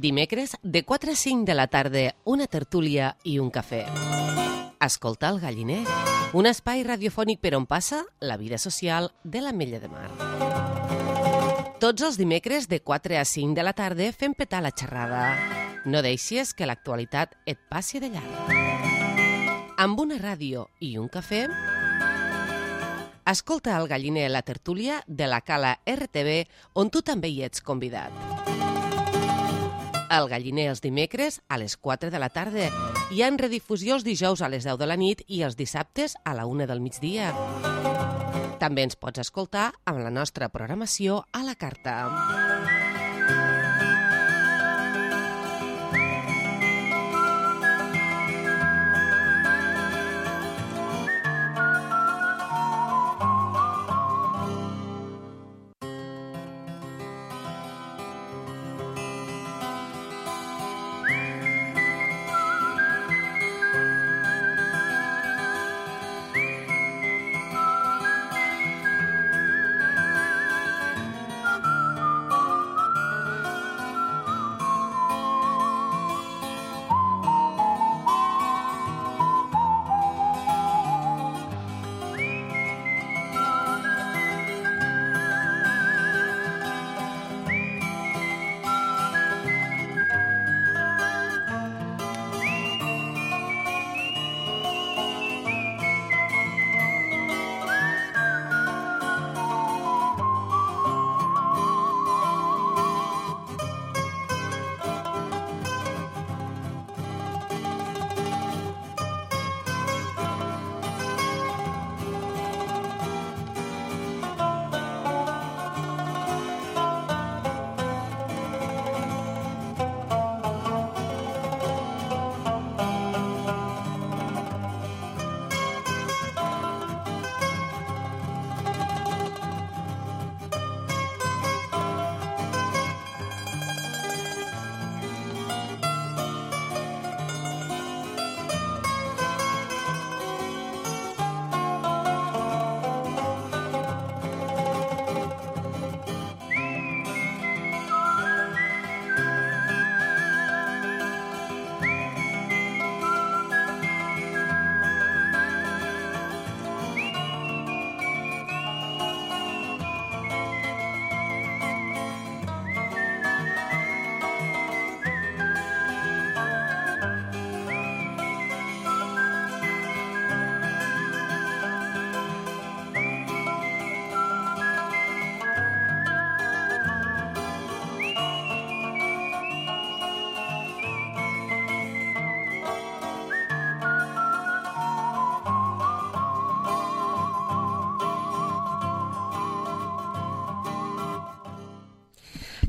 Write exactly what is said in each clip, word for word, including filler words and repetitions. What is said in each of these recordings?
Dimecres, de quatre a cinc de la tarda, una tertúlia i un cafè. Escolta el Galliner, un espai radiofònic per on passa la vida social de l'Ametlla de Mar. Tots els dimecres, de quatre a cinc de la tarda, fem petar la xerrada. No deixis que l'actualitat et passi de llarg. Amb una ràdio i un cafè, escolta el Galliner, la tertúlia de la Cala R T V, on tu també hi ets convidat. El Galliner els dimecres a les quatre de la tarda i en redifusió els dijous a les deu de la nit i els dissabtes a la una del migdia. També ens pots escoltar amb la nostra programació a la carta.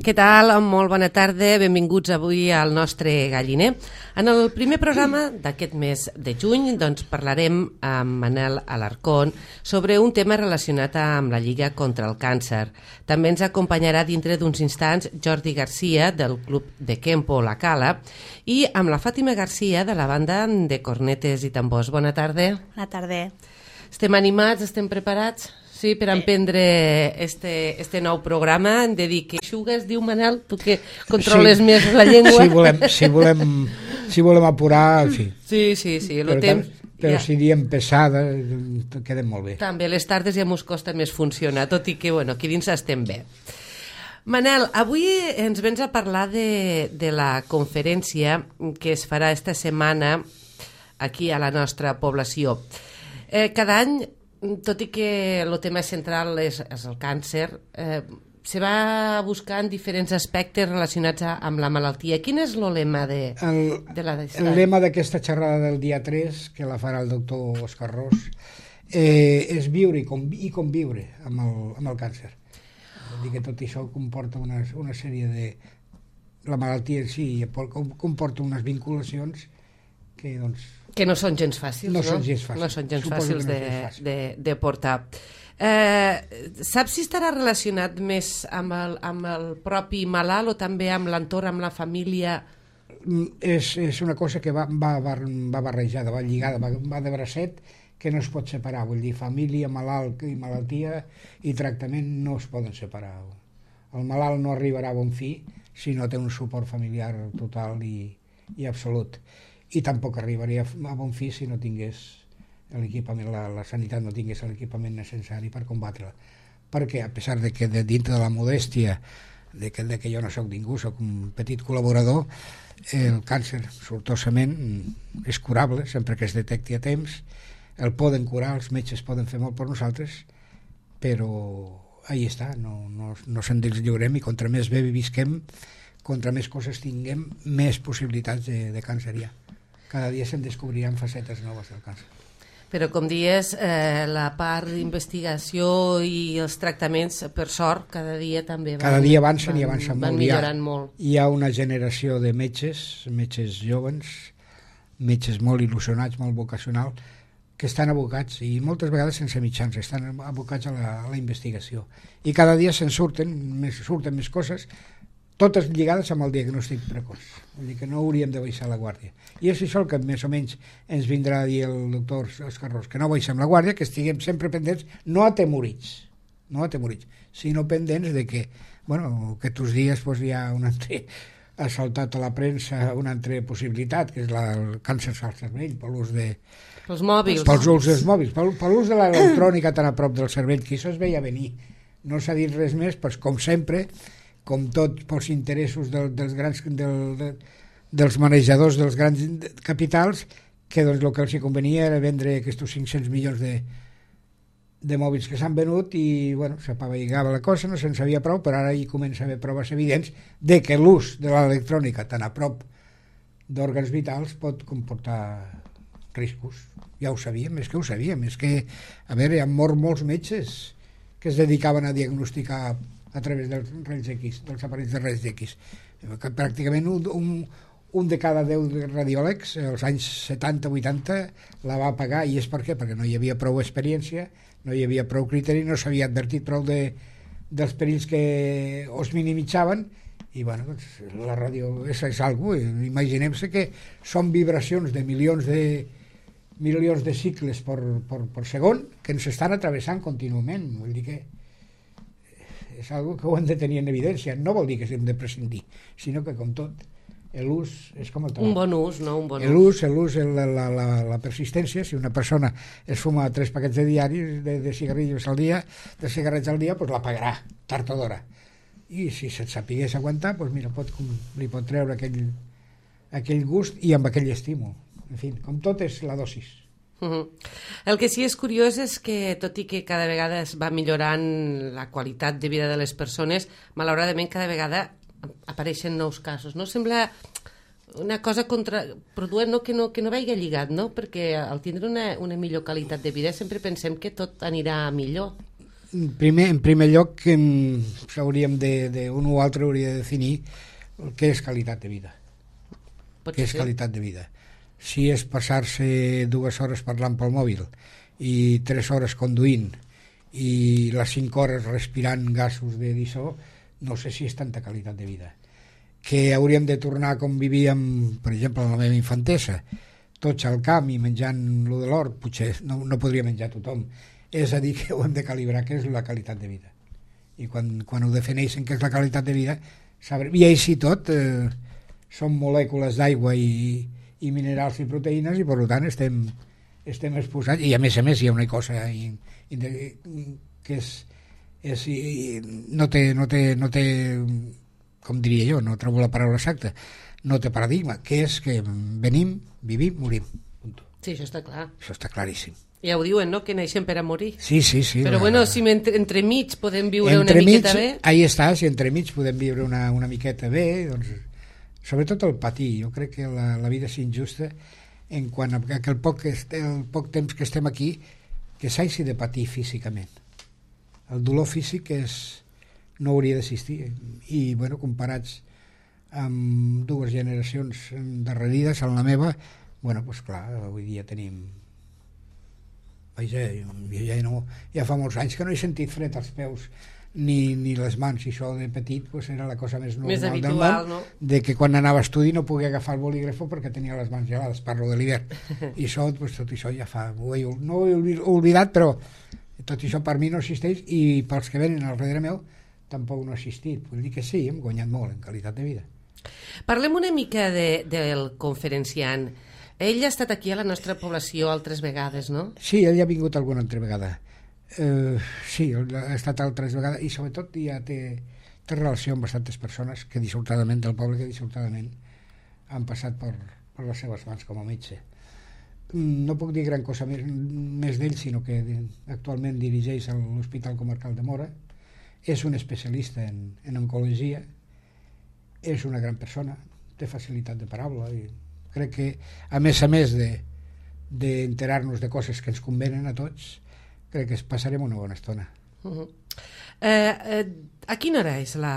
Què tal? Molt bona tarda, benvinguts avui al nostre Galliner. En el primer programa d'aquest mes de juny doncs, parlarem amb Manel Alarcón sobre un tema relacionat amb la Lliga contra el Càncer. També ens acompanyarà dintre d'uns instants Jordi Garcia del Club de Kempo La Cala i amb la Fàtima Garcia de la banda de cornetes i tambors. Bona tarda. Bona tarda. Estem animats, estem preparats? Sí, per emprendre este, este nou programa. Hem de dir que xugues, diu Manel, tu que controles sí. més la llengua. Si volem, si volem, si volem apurar, sí. Sí, sí, sí. Però, temps, però ja. si diem pesada, quedem molt bé. També, les tardes ja mos costa més funcionar, tot i que, bueno, aquí dins estem bé. Manel, avui ens vens a parlar de, de la conferència que es farà esta setmana aquí a la nostra població. Eh, cada any, tot i que el tema central és, és el càncer, eh, se va buscar en diferents aspectes relacionats a, amb la malaltia. Quin és el lema de, el, de la... El lema d'aquesta xerrada del dia tres, que la farà el doctor Òscar Ros, eh, és viure i, convi i conviure amb el, amb el càncer. Vull dir que tot això comporta una, una sèrie de... La malaltia en si comporta unes vinculacions que, doncs... Que no són gens fàcils, no? No són gens fàcils. No són gens Suposo fàcils, no de, és fàcil. de, de portar. Eh, saps si estarà relacionat més amb el, amb el propi malalt o també amb l'entorn, amb la família? És, és una cosa que va, va, va barrejada, va lligada, va, va de bracet, que no es pot separar. Vull dir, família, malalt i malaltia i tractament no es poden separar. El malalt no arribarà a bon fi si no té un suport familiar total i, i absolut. I tampoc arribaria a bon fi si no tingués l'equipament, la, la sanitat no tingués l'equipament necessari per combatre-la. Perquè, a pesar de que de dintre de la modèstia, de que, de que jo no sóc ningú, sóc un petit col·laborador, el càncer sortosament és curable sempre que es detecti a temps, el poden curar, els metges poden fer molt per nosaltres, però ahí està, no, no, no se'n deslliurem, i contra més bé visquem, contra més coses tinguem, més possibilitats de, de càncer hi ha. Cada dia se'n descobriran facetes noves del càncer. Però, com dies, eh, la part d'investigació i els tractaments, per sort, cada dia també van, cada dia avancen van, i avancen van molt. millorant hi ha, molt. Hi ha una generació de metges, metges joves, metges molt il·lusionats, molt vocacional, que estan abocats, i moltes vegades sense mitjans, estan abocats a la, a la investigació. I cada dia se'n surten més, surten més coses, totes lligades amb el diagnòstic precoç. Vull dir que no hauríem de baixar la guàrdia. I és això el que més o menys ens vindrà a dir el doctor Escarrós, que no baixem la guàrdia, que estiguem sempre pendents, no atemorits, no atemorits, sinó pendents de que, bueno, que aquests dies pues, hi ha un altre, ha saltat a la premsa una altra possibilitat, que és la, el càncer al cervell, per l'ús de... Pels mòbils. Pels ús dels mòbils, per, per l'ús de l'electrònica tan a prop del cervell, que això es veia venir. No s'ha dit res més, però com sempre, com tot pels interessos del, dels grans del, de, dels manejadors dels grans capitals, que doncs el que els convenia era vendre aquests cinc-cents milions de, de mòbils que s'han venut, i bueno, s'apavegava la cosa, no se'n sabia prou, però ara hi comença a haver proves evidents de que l'ús de l'electrònica tan a prop d'òrgans vitals pot comportar riscos. Ja ho sabíem, és que ho sabíem, és que, a veure, han mort molts metges que es dedicaven a diagnosticar a través dels raigs X, dels aparells de raigs X. Pràcticament un, un, un de cada deu radiòlegs, als anys setanta vuitanta, la va pagar, i és per què? Perquè no hi havia prou experiència, no hi havia prou criteri, no s'havia advertit prou de, dels perills que os minimitzaven, i bueno, doncs, la ràdio és, és algo, imaginem-se que són vibracions de milions de milions de cicles per, per, per segon que ens estan atravessant contínuament. Vull dir que és algo que ho hem de tenir en evidència. No vol dir que hem de prescindir, sinó que, com tot, l'ús és com el tabac. Un bon ús, no? Un bon l'ús, l'ús, la, la, la, la persistència. Si una persona es fuma tres paquets de diaris de, de cigarrillos al dia, de cigarrets al dia, pues la pagarà, tard o d'hora. I si se't sapigués aguantar, pues mira, pot, li pot treure aquell, aquell gust i amb aquell estímul. En fi, com tot és la dosis. Uh-huh. El que sí és curiós és que, tot i que cada vegada es va millorant la qualitat de vida de les persones, malauradament cada vegada apareixen nous casos. No sembla una cosa contraproduent, no? Que, no, que no vagi lligat, no? Perquè al tindre una, una millor qualitat de vida sempre pensem que tot anirà millor. Primer, en primer lloc, s'hauríem de, de, un o altre hauria de definir què és qualitat de vida. Pot què és ser. qualitat de vida. Si és passar-se dues hores parlant pel mòbil i tres hores conduint i les cinc hores respirant gasos de dissó, no sé si és tanta qualitat de vida. Que hauríem de tornar com vivíem, per exemple, en la meva infantesa, tots al camp i menjant lo de l'hort, potser no, no podria menjar tothom. És a dir, que ho hem de calibrar, què és la qualitat de vida. I quan, quan ho defineixen què és la qualitat de vida, sabrem. I així tot, eh, són molècules d'aigua i i minerals i proteïnes, i per tant estem, estem exposats, i a més a més hi ha una cosa i, i de, que és, és i, no, té, no, té, no té, com diria jo, no trobo la paraula exacta, no té paradigma, que és que venim, vivim, morim. Punto. Sí, això està clar. Això està claríssim. Ja ho diuen, no?, que neixen per a morir. Sí, sí, sí. Però la... bueno, si entre, entremig podem viure entre una miqueta mig, bé... Ahí està, si entremig podem viure una, una miqueta bé, doncs... Sobretot el patir. Jo crec que la, la vida és injusta en quant a que el poc, el poc temps que estem aquí, que s'hagi de patir físicament. El dolor físic és, no hauria d'existir. I, bueno, comparats amb dues generacions darrerides, en la meva, bueno, doncs clar, avui dia tenim... Vaja, jo ja, no, ja fa molts anys que no he sentit fred als peus ni, ni les mans, i això de petit pues, era la cosa més normal més habitual, del món, no? De que quan anava a estudi no podia agafar el bolígrafo perquè tenia les mans gelades, parlo de l'hivern. I això, pues, tot això ja fa... Ho he, no ho he oblidat, però tot això per mi no existeix, i pels que venen al darrere meu tampoc no ha assistit. Vull dir que sí, hem guanyat molt en qualitat de vida. Parlem una mica de, del conferenciant. Ell ha estat aquí a la nostra població altres vegades, no? Sí, ell ha vingut alguna altra vegada. Uh, sí, ha estat altres vegades i sobretot ja té, té relació amb bastantes persones que dissortadament, del poble que dissortadament han passat per, per les seves mans com a metge. No puc dir gran cosa més, més d'ell, sinó que actualment dirigeix l'Hospital Comarcal de Móra, és un especialista en, en oncologia, és una gran persona, té facilitat de paraula i crec que a més a més de d'enterar-nos de coses que ens convenen a tots, crec que passarem una bona estona. Uh-huh. eh, eh, a quina hora és la...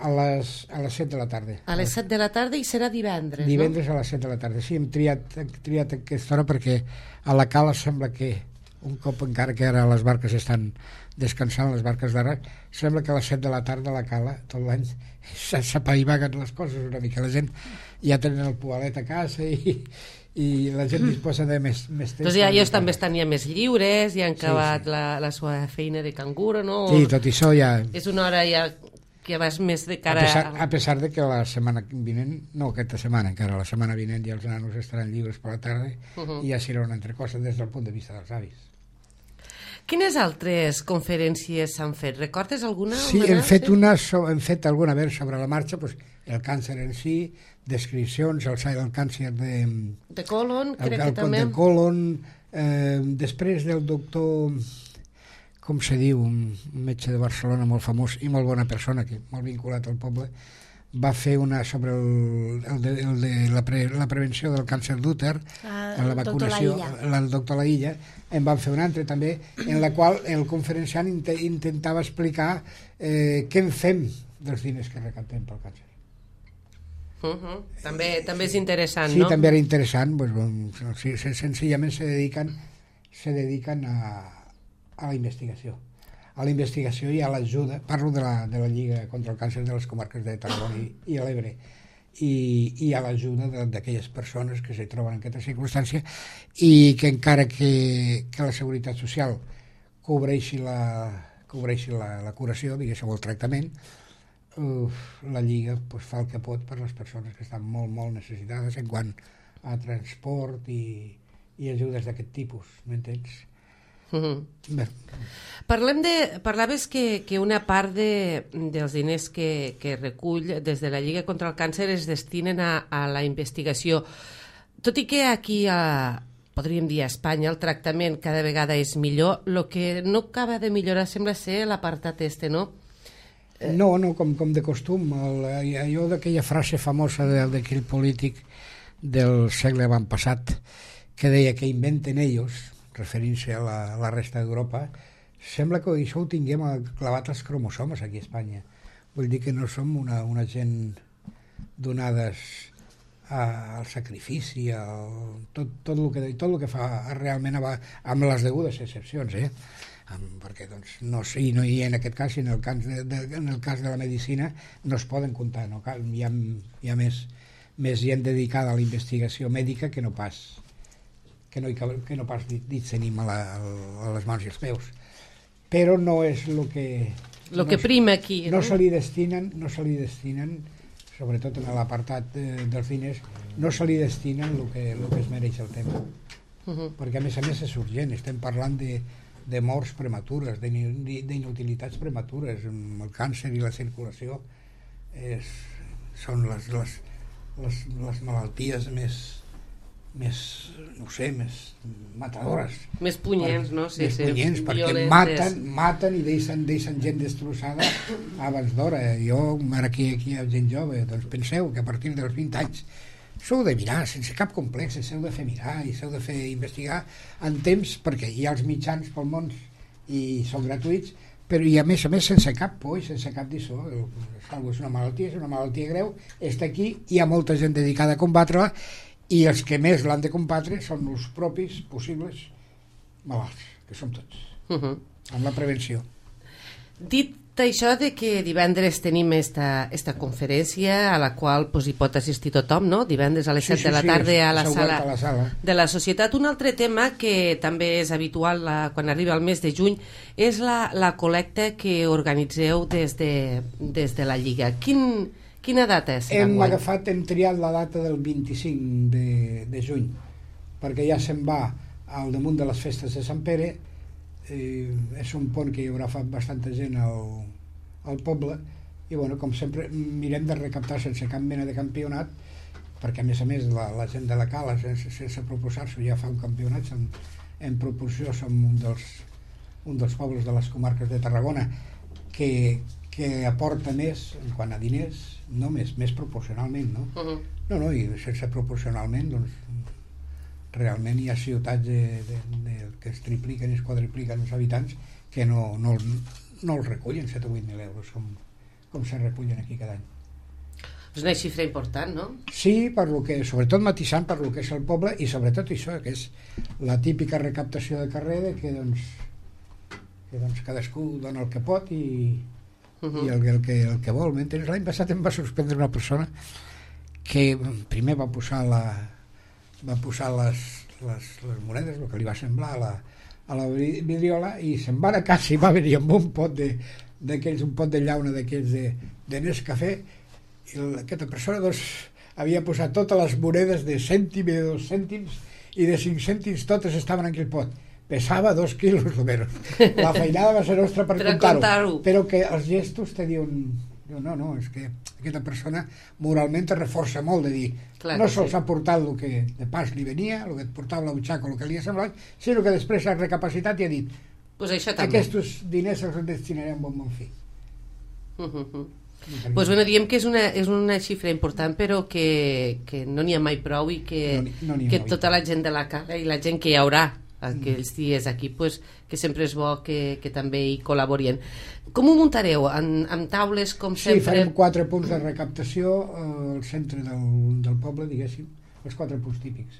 A les, a les set de la tarda. A les set de la tarda i serà divendres, divendres no? A les set de la tarda, sí, hem triat, hem triat aquesta hora perquè a la cala sembla que un cop, encara que ara les barques estan descansant, les barques d'ara, sembla que a les set de la tarda a la cala tot l'any s'apaivaguen les coses una mica, la gent ja tenen el poalet a casa i, i la gent disposa de més, més temps. Doncs ja ells també estan ja més lliures, ja han acabat sí, sí. La, la seva feina de canguro, no? Sí, tot això ja... És una hora ja que vas més de cara... A pesar, a pesar de que la setmana vinent, no aquesta setmana encara, la setmana vinent ja els nanos estaran lliures per la tarda uh -huh. i ja serà una altra cosa des del punt de vista dels avis. Quines altres conferències s'han fet? Recordes alguna? Sí, hem fet, una, hem fet alguna vegada sobre la marxa, doncs, el càncer en si, descripcions, el, el càncer de... De colon, crec el, el, que també. De colon, eh, després del doctor, com se diu, un metge de Barcelona molt famós i molt bona persona, que molt vinculat al poble, va fer una sobre el, el de, el de la, pre, la prevenció del càncer d'úter, ah, la vacunació, el doctor Laïlla, en van fer una altra també, en la qual el conferenciant int intentava explicar eh, què en fem dels diners que recaptem pel càncer. Uh -huh. També, també és interessant, sí, no? Sí, també era interessant, pues, bon, sí, senzillament se dediquen, se dediquen a, a la investigació. A la investigació i a l'ajuda, parlo de la, de la Lliga contra el Càncer de les comarques de Tarragona i, i l'Ebre, i, i a l'ajuda d'aquelles persones que se troben en aquesta circumstància i que encara que, que la Seguretat Social cobreixi la, cobreixi la, la curació, diguéssim, el tractament, uf, la Lliga pues, fa el que pot per les persones que estan molt, molt necessitades en quant a transport i, i ajudes d'aquest tipus, m'entens? Uh -huh. Parlem de, parlaves que, que una part de, dels diners que, que recull des de la Lliga contra el Càncer es destinen a, a la investigació, tot i que aquí a, podríem dir a Espanya el tractament cada vegada és millor, el que no acaba de millorar sembla ser l'apartat este, no? No, no, com, com de costum el, allò d'aquella frase famosa d'aquell polític del segle avantpassat que deia que inventen ells, referint-se a la, a la resta d'Europa, sembla que això ho tinguem clavat als cromosomes aquí a Espanya. Vull dir que no som una, una gent donades a, al sacrifici, al, tot, tot, el que, tot el que fa realment va, amb les degudes excepcions, eh? Amb, perquè doncs, no, sí, no hi ha en aquest cas, i en el cas de, de, en el cas de la medicina no es poden comptar, no? Hi ha, hi ha més, més gent dedicada a la investigació mèdica que no pas que no, que no pas dits tenim a, la, a les mans i els peus, però no és el que el que prima aquí, no, no? Se li destinen, no se li destinen, sobretot en l'apartat de, dels diners, no se li destinen el que, el que es mereix el tema, uh -huh. perquè a més a més és urgent, estem parlant de, de morts prematures, d'inutilitats prematures, el càncer i la circulació és, són les, les, les, les malalties més més, no ho sé, més matadores. Més punyents, no? Sí, més sí, punyents, perquè violentes. maten, maten i deixen, deixen gent destrossada abans d'hora. Jo, ara aquí, aquí hi ha gent jove, doncs penseu que a partir dels vint anys s'heu de mirar, sense cap complex, s'heu de fer mirar i s'heu de fer investigar en temps, perquè hi ha els mitjans pel món i són gratuïts, però i a més a més sense cap por i sense cap dissó. És una malaltia, és una malaltia greu, està aquí, hi ha molta gent dedicada a combatre-la, i els que més l'han de combatre són els propis possibles malalts, que som tots, uh -huh. amb la prevenció. Dit això de que divendres tenim esta, esta conferència a la qual pues, hi pot assistir tothom, no? Divendres a les Sí, set sí, de la sí, tarda és- a, la és obert sala a la sala. de la Societat. Un altre tema que també és habitual la, quan arriba el mes de juny és la, la col·lecta que organitzeu des de, des de la Lliga. Quin, quina data és? Hem d'enguany? agafat, hem triat la data del vint-i-cinc de, de juny, perquè ja se'n va al damunt de les festes de Sant Pere. Eh, és un pont que hi haurà fa bastanta gent al, al poble, i bueno, com sempre mirem de recaptar sense cap mena de campionat, perquè a més a més la, la gent de la Cala sense, sense proposar-s'ho ja fa un campionat. Som, en proporció som un dels, un dels pobles de les comarques de Tarragona que, que aporta més en quant a diners, no més, més proporcionalment, no? Uh-huh. No, no, i sense proporcionalment, doncs, realment hi ha ciutats de, de, de, que es tripliquen i es quadripliquen els habitants que no, no, no els recullen set o vuit mil euros com, com se recullen aquí cada any. És una xifra important, no? Sí, per lo que, sobretot matisant per lo que és el poble, i sobretot això, que és la típica recaptació de carrer de que, doncs, que doncs, cadascú dona el que pot i, uh-huh. i el, el, que, el que vol. M'entens? L'any passat em va sorprendre una persona que primer va posar la va posar les, les, les monedes, el que li va semblar a la, a la vidriola, i se'n va a casa i va venir amb un pot de, d'aquells, un pot de llauna d'aquells de, de Nescafé, i aquesta persona doncs, havia posat totes les monedes de cèntim i de dos cèntims i de cinc cèntims, totes estaven en aquell pot. Pesava dos quilos almenys. La feinada va ser nostra per, per comptar-ho, comptar-ho. però que els gestos te diuen, no, no, és que aquesta persona moralment te reforça molt de dir, clar, no sols sí. ha portat el que de pas li venia, el que et portava la butxaca, el que li ha semblat, sinó que després ha recapacitat i ha dit, pues això també. aquests diners els destinaré a un bon bon fi. Uh -huh. Pues bueno, diem que és una, és una xifra important, però que, que no n'hi ha mai prou i que, no, no que tota la gent de la Cala i la gent que hi haurà aquells dies aquí, pues, que sempre és bo que, que també hi col·laborien. Com ho muntareu? En, amb taules, com Sí, sempre? farem quatre punts de recaptació eh, al centre del, del poble, diguéssim, els quatre punts típics.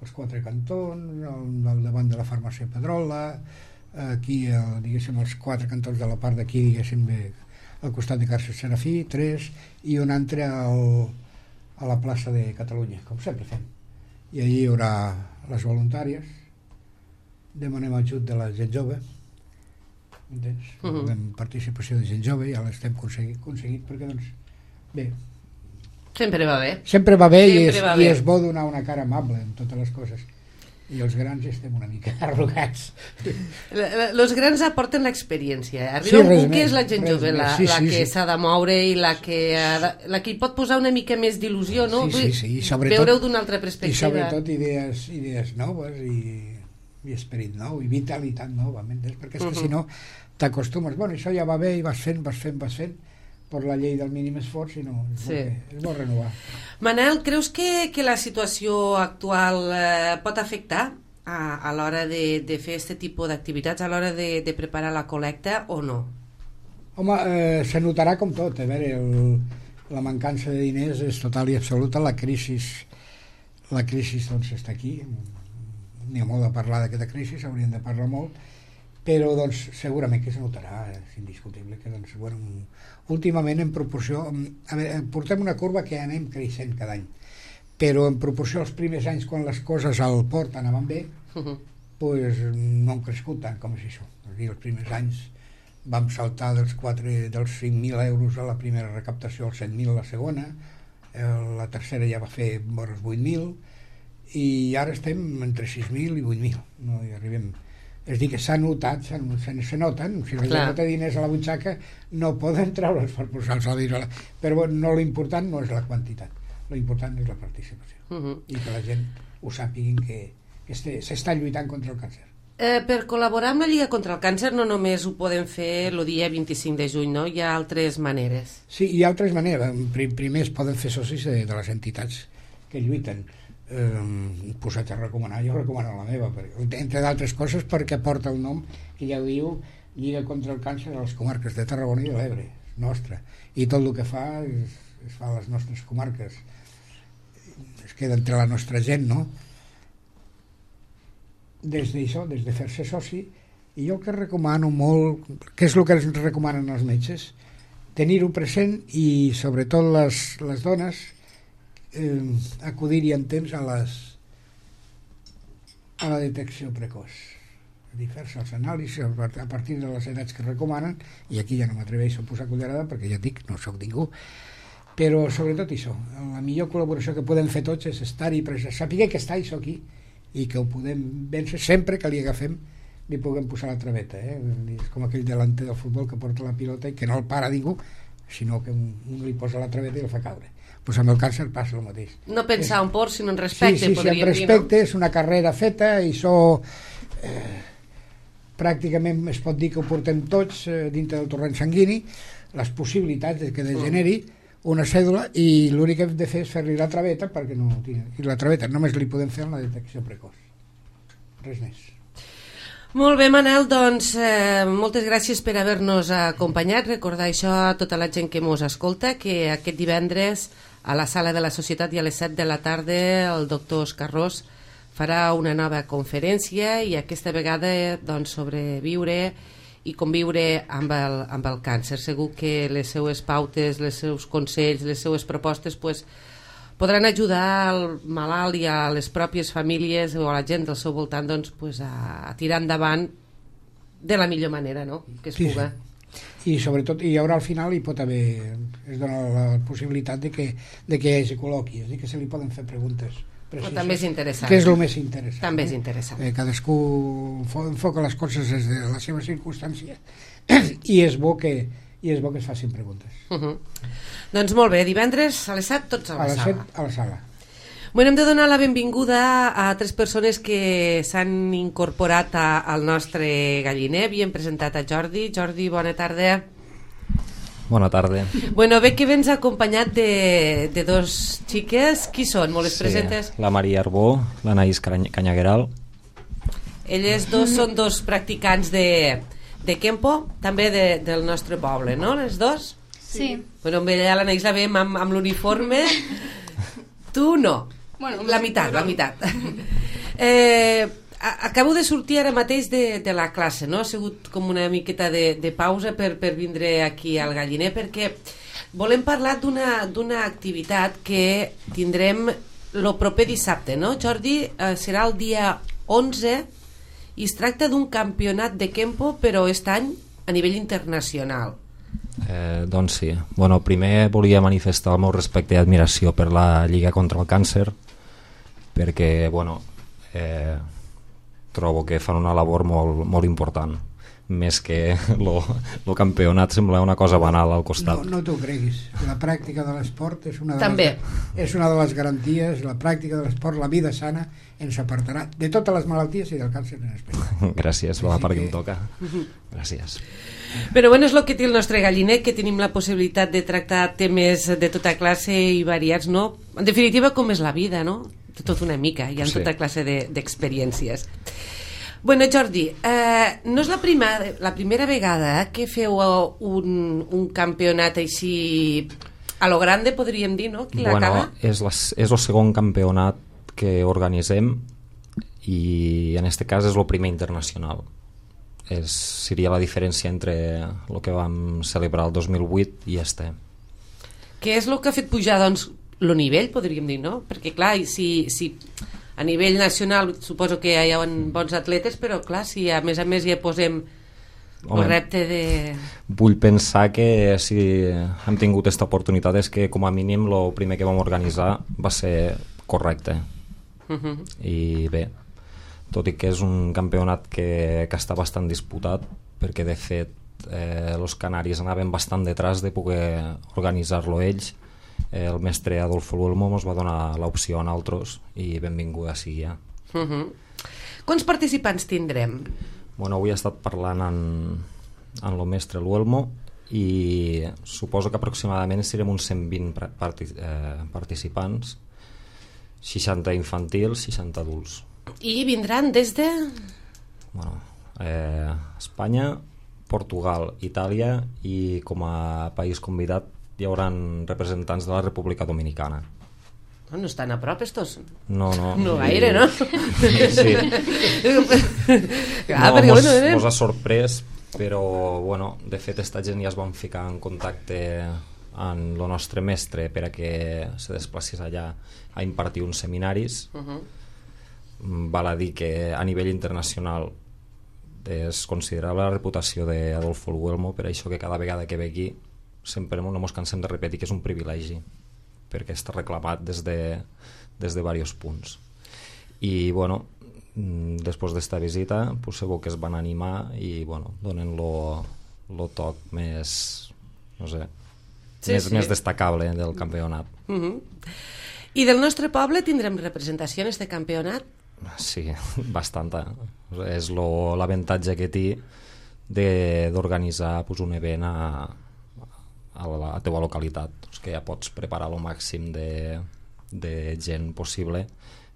Els quatre cantons, al, al davant de la farmàcia Pedrola, aquí, el, diguéssim, els quatre cantons de la part d'aquí, diguéssim, de, al costat de Carcer Serafí, tres, i un altre al, a la plaça de Catalunya, com sempre fem. I allí hi haurà les voluntàries, demanem ajut de la gent jove, entens? Uh -huh. Demanem participació de gent jove, ja l'estem aconseguit, aconseguit perquè, doncs, bé. Sempre va bé. Sempre va bé, Sempre i, és, va i bé. és bo donar una cara amable en totes les coses. I els grans estem una mica arrogats. Els grans aporten l'experiència. Arriba Sí, un res punt que més, és la gent res jove, més. la, Sí, la sí, que sí. s'ha de moure i la que, ha de, la que hi pot posar una mica més d'il·lusió, no? Sí, sí, sí, i sobretot- Veure-ho d'una altra I perspectiva. sobretot idees, idees noves i, i esperit nou i vitalitat nova, m'entens? Perquè és que Uh-huh. si no t'acostumes, bueno, això ja va bé i vas fent, vas fent, vas fent per la llei del mínim esforç, i no, és, Sí. bo, que, és bo renovar. Manel, creus que, que la situació actual eh, pot afectar a, a l'hora de, de fer aquest tipus d'activitats, a l'hora de, de preparar la col·lecta o no? Home, eh, se notarà com tot, a veure, el, la mancança de diners és total i absoluta, la crisi, la crisi doncs està aquí, n'hi ha molt de parlar d'aquesta crisi, hauríem de parlar molt, però doncs segurament que es notarà, és indiscutible que doncs, bueno, últimament en proporció, a veure, portem una curva que anem creixent cada any, però en proporció als primers anys quan les coses al port anaven bé, Uh-huh. pues, no han crescut tant com és això. És a dir, els primers anys vam saltar dels, quatre, dels cinc mil euros a la primera recaptació als set mil a la segona, eh, la tercera ja va fer vora els vuit mil, i ara estem entre sis mil i vuit mil, no hi arribem. És a dir, que s'ha notat, se, se noten, si la gent no té diners a la butxaca no poden treure'ls per posar els diners a la... Però bueno, no, l'important no és la quantitat, l'important és la participació. Uh-huh. I que la gent ho sàpiguin que, que s'està lluitant contra el càncer. Eh, per col·laborar amb la Lliga contra el Càncer no només ho podem fer el dia vint-i-cinc de juny, no? Hi ha altres maneres. Sí, hi ha altres maneres. Primer es poden fer socis de, de les entitats que lluiten. Eh, posat a recomanar, jo recomano la meva, perquè, entre d'altres coses perquè porta el nom que ja diu Lliga contra el Càncer a les comarques de Tarragona i de l'Ebre, és nostra. I tot el que fa es, es fa a les nostres comarques. Es queda entre la nostra gent, no? Des d'això, des de fer-se soci, I jo el que recomano molt, què és el que ens recomanen els metges? Tenir-ho present i sobretot les, les dones eh, acudir-hi en temps a les a la detecció precoç, a dir, fer-se els anàlisis a partir de les edats que recomanen, i aquí ja no m'atreveixo a posar cullerada perquè ja dic, no sóc ningú, però sobretot això, la millor col·laboració que podem fer tots és estar-hi present, saber que està això aquí i que ho podem vèncer sempre que li agafem, li puguem posar la traveta, eh? És com aquell delanter del futbol que porta la pilota i que no el para ningú, sinó que un, un li posa la traveta i el fa caure. Pues amb el càncer passa el mateix. No pensar en por, sinó en respecte, sí, sí, podríem sí, en respecte, dir, no? És una carrera feta i això eh, pràcticament es pot dir que ho portem tots eh, dintre del torrent sanguini, les possibilitats de que degeneri una cèdula, i l'únic que hem de fer és fer-li la traveta perquè no tingui. I la traveta només li podem fer en la detecció precoç. Res més. Molt bé, Manel, doncs eh, moltes gràcies per haver-nos acompanyat. Recordar això a tota la gent que mos escolta, que aquest divendres a la sala de la Societat i a les set de la tarda el doctor Òscar Ros farà una nova conferència, i aquesta vegada doncs, sobre viure i conviure amb el, amb el càncer. Segur que les seues pautes, els seus consells, les seues propostes pues, podran ajudar al malalt i a les pròpies famílies o a la gent del seu voltant doncs, pues, a, a tirar endavant de la millor manera, no? Que es sí, puga. Sí. I sobretot hi haurà al final, hi pot haver, es dona la possibilitat de que, de que hi hagi col·loqui, és dir, que se li poden fer preguntes precises, o també és interessant. que és el més interessant. També eh? és interessant. Eh, cadascú enfoca les coses des de la seva circumstància i és bo que i és bo que es facin preguntes. Uh -huh. Doncs molt bé, divendres a les set tots a la, a les sala. set a la sala. Bueno, hem de donar la benvinguda a tres persones que s'han incorporat a, al nostre galliner. Havíem presentat a Jordi. Jordi, bona tarda. Bona tarda. Bueno, bé que vens acompanyat de, de dos xiques. Qui són? Molt les sí, presentes? La Maria Arbó, l'Anaïs Canyagueral. Elles dos són dos practicants de, de Kempo, també de, del nostre poble, no? Les dos? Sí. Bueno, amb ella l'Anaïs la veiem amb, amb l'uniforme. Tu no. Bueno, la meitat, la meitat. Eh, acabo de sortir ara mateix de, de la classe, no? Ha sigut com una miqueta de, de pausa per, per vindre aquí al galliner, perquè volem parlar d'una d'una activitat que tindrem el proper dissabte, no, Jordi? Eh, serà el dia onze i es tracta d'un campionat de Kempo, però aquest any a nivell internacional. Eh, doncs sí. Bueno, primer volia manifestar el meu respecte i admiració per la Lliga contra el Càncer, perquè bueno, eh, trobo que fan una labor molt, molt important, més que el campionat sembla una cosa banal al costat. No, no t'ho creguis, la pràctica de l'esport és una de També. les, és una de les garanties. La pràctica de l'esport, la vida sana, ens apartarà de totes les malalties i del càncer en especial. Gràcies, va, perquè que... em toca. Gràcies. Però bueno, és el que té el nostre galliner, que tenim la possibilitat de tractar temes de tota classe i variats, no? En definitiva, com és la vida, no? De tot una mica, hi ha Sí. tota classe d'experiències. De, bueno, Jordi, eh, no és la, prima, la primera vegada que feu un, un campionat així a lo grande, podríem dir, no? Qui Bueno, l'acaba? és, la, és el segon campionat que organitzem i en este cas és el primer internacional. És, seria la diferència entre el que vam celebrar el dos mil vuit i este. Què és el que ha fet pujar, doncs, el nivell, podríem dir, no? Perquè, clar, si, si a nivell nacional suposo que hi ha bons atletes, però, clar, si a més a més ja posem Home, el repte de... Vull pensar que si hem tingut aquesta oportunitat és que com a mínim el primer que vam organitzar va ser correcte. Uh -huh. I bé, tot i que és un campionat que, que està bastant disputat, perquè de fet eh, els canaris anaven bastant detrás de poder organitzar-lo ells. Eh, el mestre Adolfo Luelmo ens va donar l'opció a nosaltres i benvinguda sigui ja. Uh -huh. Quants participants tindrem? Bueno, avui he estat parlant amb, amb el mestre Luelmo i suposo que aproximadament serem uns cent vint partic eh, participants, seixanta infantils, seixanta adults. I vindran des de... Bueno, eh, Espanya, Portugal, Itàlia i com a país convidat hi haurà representants de la República Dominicana. No estan a prop estos? No, no. No gaire, no? Sí. Clar, no, perquè, mos, bueno, eh? mos ha sorprès, però, bueno, de fet, esta gent ja es van ficar en contacte amb el nostre mestre per a que se desplacés allà a impartir uns seminaris. Uh-huh. Val a dir que a nivell internacional és considerable la reputació d'Adolfo el Huelmo, per això que cada vegada que ve aquí sempre no ens cansem de repetir que és un privilegi, perquè està reclamat des de, des de diversos punts. I, bueno, després d'esta visita, pues, segur que es van animar i, bueno, donen lo, lo toc més, no sé, sí, més, sí. més destacable del campionat. Uh-huh. I del nostre poble tindrem representació en este campionat? Sí, bastanta. És l'avantatge que té d'organitzar pues, un event a, a la teva localitat, doncs que ja pots preparar el màxim de, de gent possible,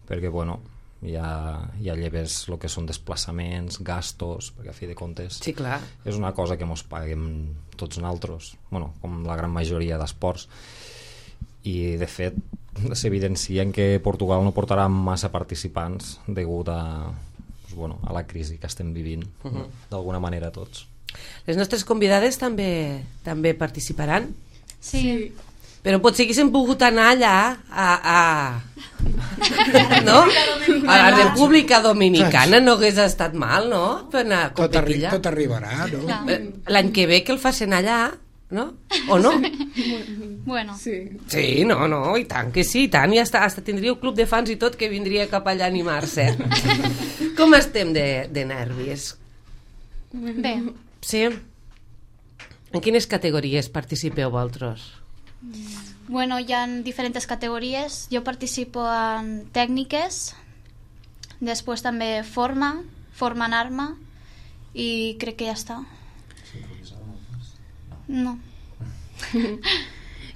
perquè bueno, ja, ja lleves el que són desplaçaments, gastos, perquè a fi de comptes sí, clar. És una cosa que mos paguem tots nosaltres, bueno, com la gran majoria d'esports, i de fet s'evidencien que Portugal no portarà massa participants degut a, doncs, bueno, a la crisi que estem vivint, uh-huh. no? D'alguna manera tots. Les nostres convidades també també participaran? Sí. Però potser haguéssim pogut anar allà a, a, no? a la República Dominicana, no hagués estat mal, no? Per anar a tot, arri allà. tot arribarà, no? L'any que ve que el facin allà, no? O no? Bueno. Sí. Sí, no, no, i tant que sí, i tant, i hasta, hasta tindríeu club de fans i tot que vindria cap allà a animar-se. Com estem de, de nervis? Bé. Sí? En quines categories participeu vosaltres? Bueno, hi ha diferents categories. Jo participo en tècniques, després també forma, forma en arma, i crec que ja està. No.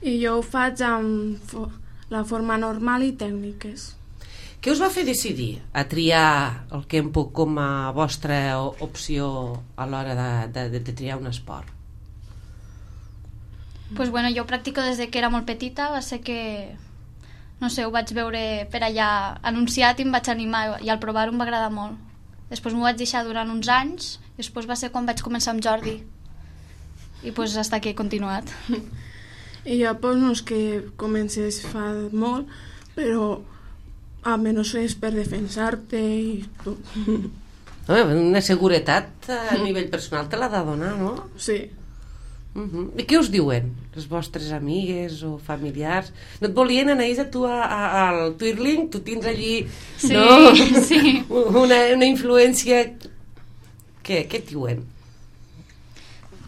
I jo ho faig amb fo la forma normal i tècniques. Què us va fer decidir a triar el Kempo com a vostra opció a l'hora de, de, de triar un esport? Pues bueno, jo practico des de que era molt petita, va ser que, no sé, ho vaig veure per allà anunciat i em vaig animar, i al provar-ho em va agradar molt. Després m'ho vaig deixar durant uns anys, i després va ser quan vaig començar amb Jordi. I pues hasta aquí he continuat. I jo pues, no és que comences fa molt, però almenys és per defensar-te i tot. Una seguretat a nivell personal te l'ha de donar, no? Sí. Uh-huh. I què us diuen les vostres amigues o familiars? No et volien anar a tu a, a, al Twirling? Tu tens allí sí, no? sí. Una, una influència. Què, què et diuen?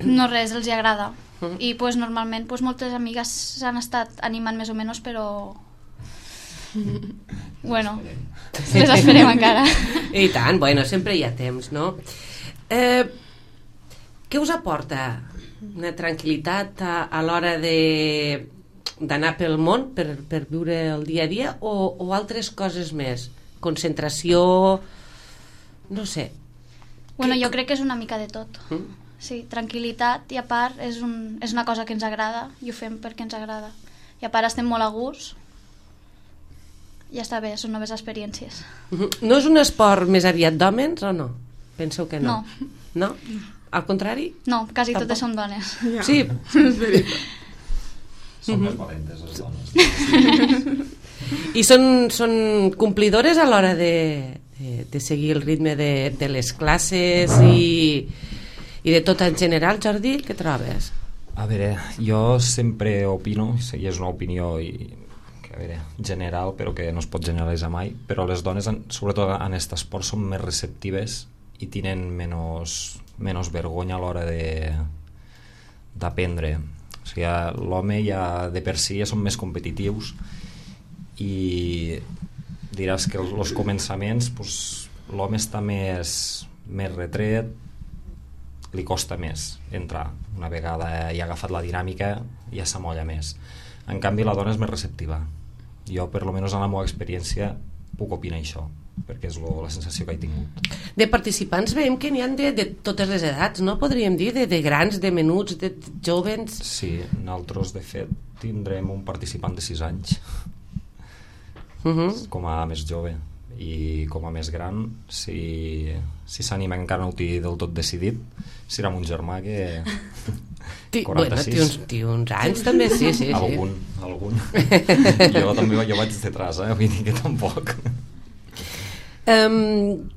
No res, els hi agrada. Uh-huh. I pues, normalment pues, moltes amigues s'han estat animant més o menys, però bueno, les esperem encara. I tant, bueno, sempre hi ha temps, no? Eh, què us aporta una tranquil·litat a, a l'hora de d'anar pel món per, per viure el dia a dia o, o altres coses més? Concentració, no sé. Bueno, que... jo crec que és una mica de tot. Mm? Sí, tranquil·litat, i a part és, un, és una cosa que ens agrada i ho fem perquè ens agrada. I a part estem molt a gust. Ja està bé, són noves experiències. No és un esport més aviat d'hòmens o no? Penseu que no? No. No? Al contrari? No, quasi Tampoc. totes són dones. Ja. Sí. És veritat. Són més valentes les dones. I són, són complidores a l'hora de, de, de seguir el ritme de, de les classes i, i de tot en general, Jordi, què trobes? A veure, jo sempre opino, i és una opinió i, a veure, general, però que no es pot generalitzar mai, però les dones, sobretot en aquest esport, són més receptives i tenen menys, menys vergonya a l'hora d'aprendre. O sigui, l'home ja de per si ja són més competitius i diràs que els començaments pues, l'home està més, més retret, li costa més entrar. Una vegada ja ha agafat la dinàmica ja s'amolla més. En canvi la dona és més receptiva. Jo, per lo menys en la meva experiència, puc opinar això, perquè és lo, la sensació que he tingut. De participants veiem que n'hi ha de, de totes les edats, no? Podríem dir, de, de grans, de menuts, de, de jovens. Sí, nosaltres de fet tindrem un participant de sis anys uh -huh. com a més jove, i com a més gran, si si s'anima, encara no ho té del tot decidit, serà mon germà que Ti, quaranta-sis. Bueno, té uns, té uns anys també, sí, sí, sí. Algun, algun. Jo també jo vaig detrás, eh? Vull dir que tampoc. Um,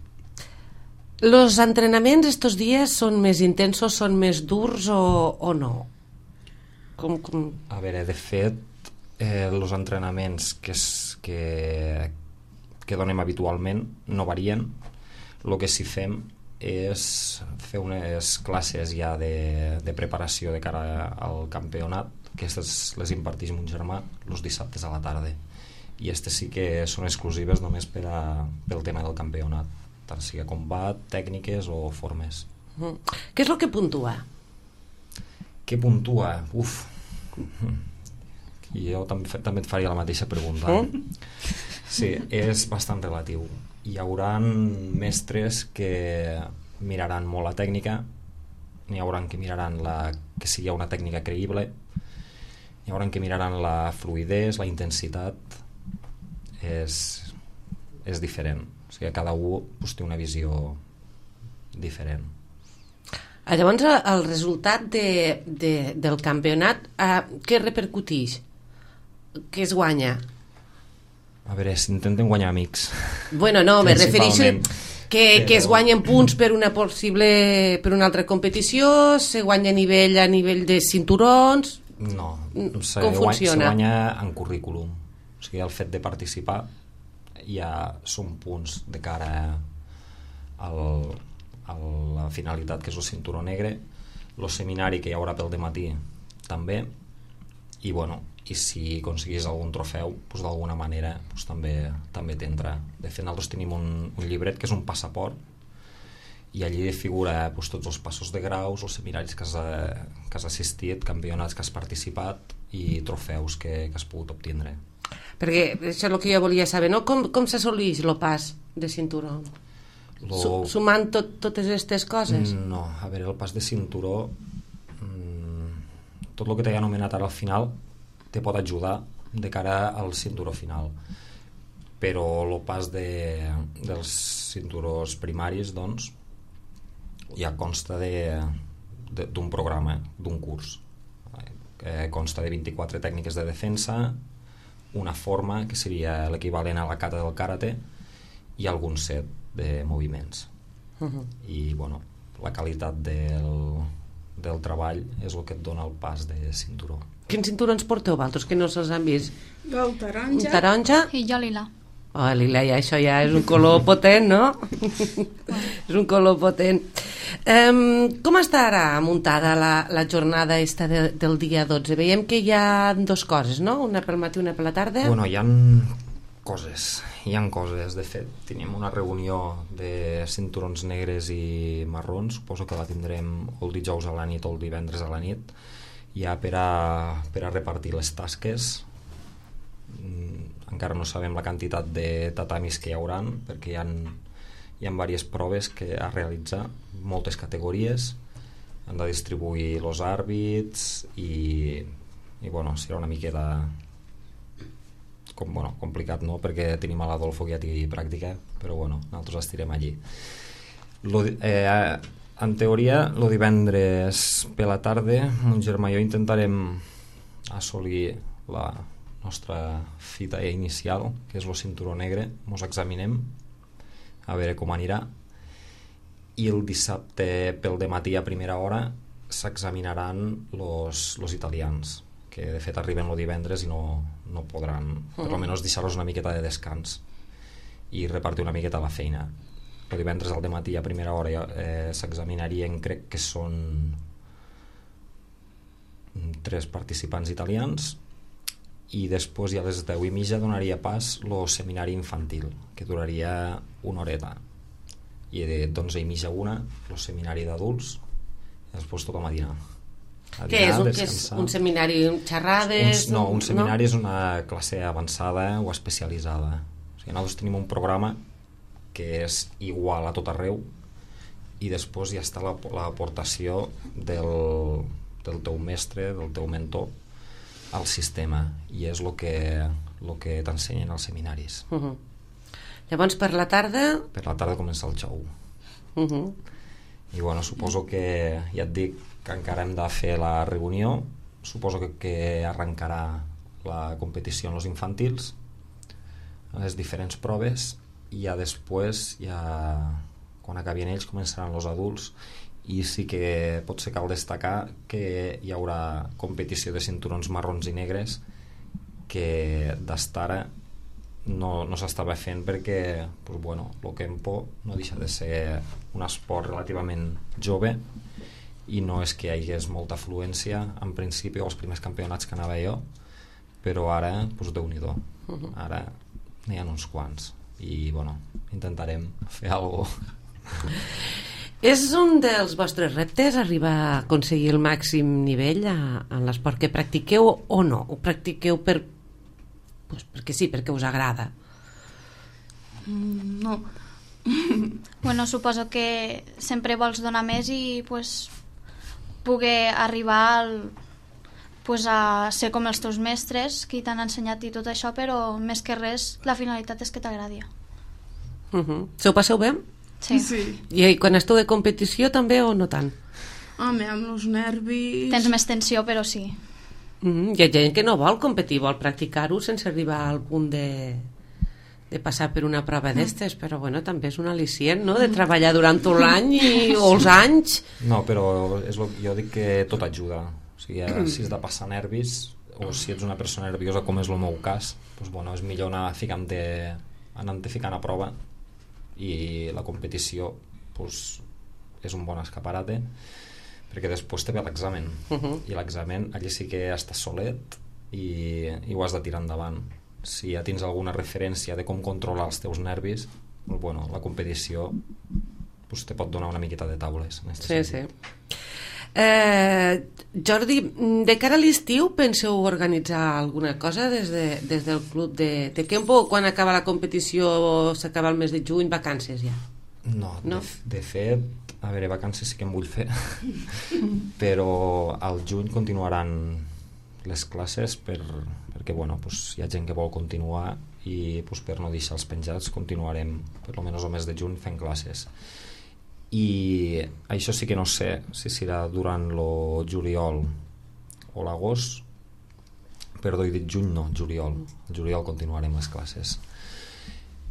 los entrenaments estos dies són més intensos, són més durs o, o no? Com, com... A veure, de fet, eh, els entrenaments que, es, que, que donem habitualment no varien. El que sí fem és fer unes classes ja de, de preparació de cara al campionat, que aquestes les imparteix mon germà els dissabtes a la tarda, i aquestes sí que són exclusives només per a, pel tema del campionat, tant sigui combat, tècniques o formes. Mm. Què és el que puntua? Què puntua? Uf, jo també, també et faria la mateixa pregunta. Mm? Sí, és bastant relatiu. Hi haurà mestres que miraran molt la tècnica, n'hi haurà que miraran la, que sigui una tècnica creïble, n'hi haurà que miraran la fluïdesa, la intensitat. És, és diferent. O sigui, cada un pues, té una visió diferent. Llavors, el resultat de, de, del campionat, eh, què repercuteix? Què es guanya? A veure, s'intenten guanyar amics. Bueno, no, me refereixo que, Però... que es guanyen punts per una possible per una altra competició, se guanya a nivell a nivell de cinturons... No, se, com funciona? Se guanya en currículum. O sigui, el fet de participar ja són punts de cara al, a la finalitat, que és el cinturó negre, el seminari que hi haurà pel dematí també, i bueno, i si aconseguís algun trofeu, doncs d'alguna manera doncs també també t'entra. De fet, nosaltres tenim un, un llibret que és un passaport, i allí figura doncs, tots els passos de graus, els seminaris que has, que has assistit, campionats que has participat i trofeus que, que has pogut obtindre. Perquè això és el que jo volia saber, no? Com, com s'assoleix el pas de cinturó? Lo... Sumant tot, totes aquestes coses? No, a veure, el pas de cinturó, mmm, tot el que t'he anomenat ara al final te pot ajudar de cara al cinturó final, però el pas de, dels cinturons primaris doncs ja consta de, de, d'un programa, d'un curs, eh, consta de vint-i-quatre tècniques de defensa, una forma que seria l'equivalent a la kata del karate i algun set de moviments. Uh-huh. I bueno, la qualitat del, del treball és el que et dona el pas de cinturó. Quins cinturons porteu vosaltres, que no se'ls han vist? Jo el taronja. Un taronja? I jo lila. Oh, lila, ja, això ja és un color potent, no? És un color potent. Um, com estarà muntada la, la jornada esta de, del dia dotze? Veiem que hi ha dos coses, no? Una pel matí, una per la tarda? Bueno, hi ha coses, hi ha coses. De fet, tenim una reunió de cinturons negres i marrons, suposo que la tindrem el dijous a la nit o el divendres a la nit, ja per a, per a repartir les tasques. Encara no sabem la quantitat de tatamis que hi hauran, perquè hi ha, hi ha diverses proves que a realitzar, moltes categories, han de distribuir els àrbits i, i bueno, serà una miqueta com, bueno, complicat, no? Perquè tenim a l'Adolfo que ja té pràctica, però bueno, nosaltres estirem allí. Lo, eh, en teoria, el divendres per la tarda, mon germà i jo intentarem assolir la nostra fita inicial, que és el cinturó negre. Ens examinem a veure com anirà, i el dissabte pel dematí a primera hora s'examinaran los italians, que de fet arriben el divendres i no, no podran, per almenys deixar-los una miqueta de descans i repartir una miqueta la feina. El divendres al dematí a primera hora eh, s'examinarien, crec que són tres participants italians, i després ja a les deu i mitja donaria pas el seminari infantil, que duraria una horeta, i de d'onze i mitja a una el seminari d'adults, i després tothom a dinar. A Què dinar, és, un, que és un seminari, xerrades? Un, no, un seminari no? és una classe avançada o especialitzada. O sigui, nosaltres tenim un programa que és igual a tot arreu, i després ja està l'aportació del, del teu mestre, del teu mentor, al sistema, i és el que, lo que t'ensenyen als seminaris. Uh -huh. Llavors per la tarda... Per la tarda comença el show. Uh -huh. I bueno, suposo que, ja et dic, que encara hem de fer la reunió, suposo que, que arrencarà la competició en els infantils, les diferents proves, i ja després, ja, quan acabin ells, començaran els adults, i sí que potser cal destacar que hi haurà competició de cinturons marrons i negres que d'estara no, no s'estava fent perquè pues, bueno, el Kempo no deixa de ser un esport relativament jove i no és que hi hagués molta afluència en principi als primers campionats que anava jo, però ara pues, Déu-n'hi-do, ara n'hi ha uns quants i bueno, intentarem fer alguna cosa. És un dels vostres reptes arribar a aconseguir el màxim nivell a, en l'esport que practiqueu o no? Ho practiqueu per, pues, perquè sí, perquè us agrada? Mm, no. Bueno, suposo que sempre vols donar més i pues, poder arribar al, pues, a ser com els teus mestres que t'han ensenyat i tot això, però més que res la finalitat és que t'agradi. Uh -huh. Se ho passeu bé? Sí. Sí. I quan esteu de competició també o no tant? Home, amb els nervis... Tens més tensió, però sí. Uh -huh. Hi ha gent que no vol competir, vol practicar-ho sense arribar al punt de, de passar per una prova d'estes, però bueno, també és un al·licient, no?, de treballar durant tot l'any i, o els anys. No, però és lo, jo dic que tot ajuda. O sigui, si has de passar nervis o si ets una persona nerviosa, com és el meu cas, doncs, bueno, és millor anar ficant-te, anant-te ficant a prova, i la competició pues, és un bon escaparate perquè després te ve l'examen uh -huh. i l'examen allí sí que estàs solet i, i ho has de tirar endavant. Si ja tens alguna referència de com controlar els teus nervis, pues, bueno, la competició pues, te pot donar una miqueta de taules en sí, sí. Eh, Jordi, de cara a l'estiu penseu organitzar alguna cosa des, de, des del club de, de Kempo? Quan acaba la competició, s'acaba el mes de juny, vacances ja? No, no? De, de fet, a veure, vacances sí que en vull fer però al juny continuaran les classes per, perquè bueno, pues, hi ha gent que vol continuar i pues, per no deixar els penjats continuarem per almenys el mes de juny fent classes. I això sí que no sé si serà durant el juliol o l'agost, perdó, he dit juny, no, juliol. El juliol continuarem les classes.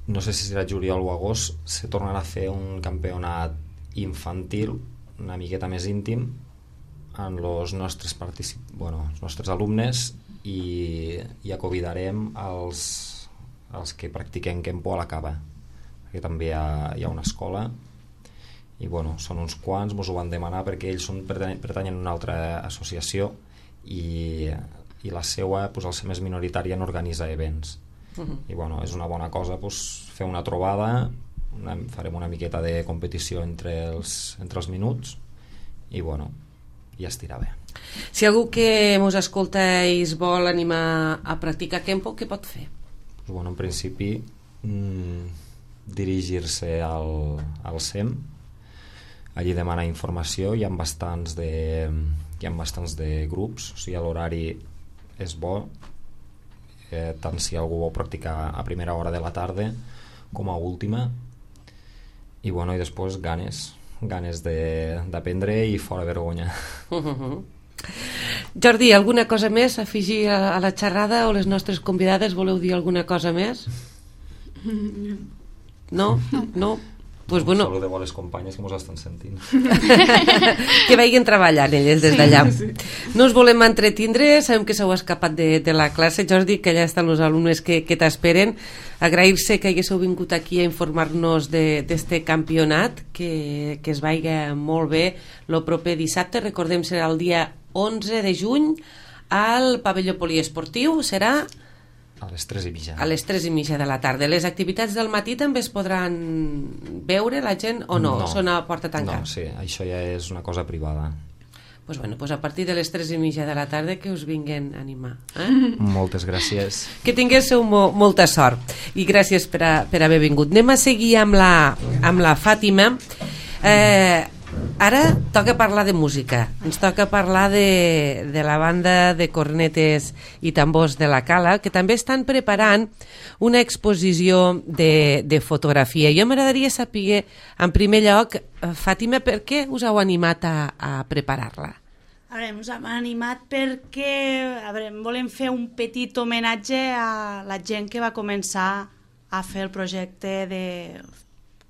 No sé si serà juliol o agost, se tornarà a fer un campionat infantil una miqueta més íntim en els nostres particip... bueno, els nostres alumnes i, i acovidarem els, els que practiquem Kempo a la Cava, perquè també hi ha, hi ha una escola i bueno, són uns quants, ens ho van demanar perquè ells són, pertanyen a una altra associació i, i la seua, pues, al ser més minoritària, no organitza events. Uh-huh. I bueno, és una bona cosa pues, fer una trobada, una, farem una miqueta de competició entre els, entre els minuts i bueno, ja estirà bé. Si algú que mos escolta i es vol animar a practicar Kempo, què pot fer? Pues, bueno, en principi mmm, dirigir-se al, al S E M, allí demanar informació, hi ha bastants de, hi ha bastants de grups, o sigui, l'horari és bo, eh, tant si algú vol practicar a primera hora de la tarda com a última, i bueno, i després ganes ganes d'aprendre i fora vergonya. Uh -huh. Jordi, alguna cosa més a afegir a, a la xerrada o les nostres convidades? Voleu dir alguna cosa més? No? No? Pues bueno. Saludeu a les companyes que mos estan sentint. Que vagin treballant elles des d'allà. Sí, sí. No us volem entretindre, sabem que s'heu escapat de, de la classe, Jordi, que allà estan els alumnes que, que t'esperen. Agrair-se que haguéssiu vingut aquí a informar-nos d'este campionat, que, que es vaiga molt bé el proper dissabte. Recordem, serà el dia onze de juny al pavelló poliesportiu, serà... A les tres i mitja. A les tres i mitja de la tarda. Les activitats del matí també es podran veure la gent o no? No. Són a porta tancada? No, sí, això ja és una cosa privada. Pues bueno, pues a partir de les tres i mitja de la tarda que us vinguin a animar. Eh? Moltes gràcies. Que tinguéssiu mo molta sort i gràcies per, a, per haver vingut. Anem a seguir amb la, amb la Fàtima. Eh, Ara toca parlar de música. Ens toca parlar de, de la banda de cornetes i tambors de la Cala, que també estan preparant una exposició de, de fotografia. Jo m'agradaria saber, en primer lloc, Fàtima, per què us heu animat a, a preparar-la? A veure, ens hem animat perquè a veure, volem fer un petit homenatge a la gent que va començar a fer el projecte de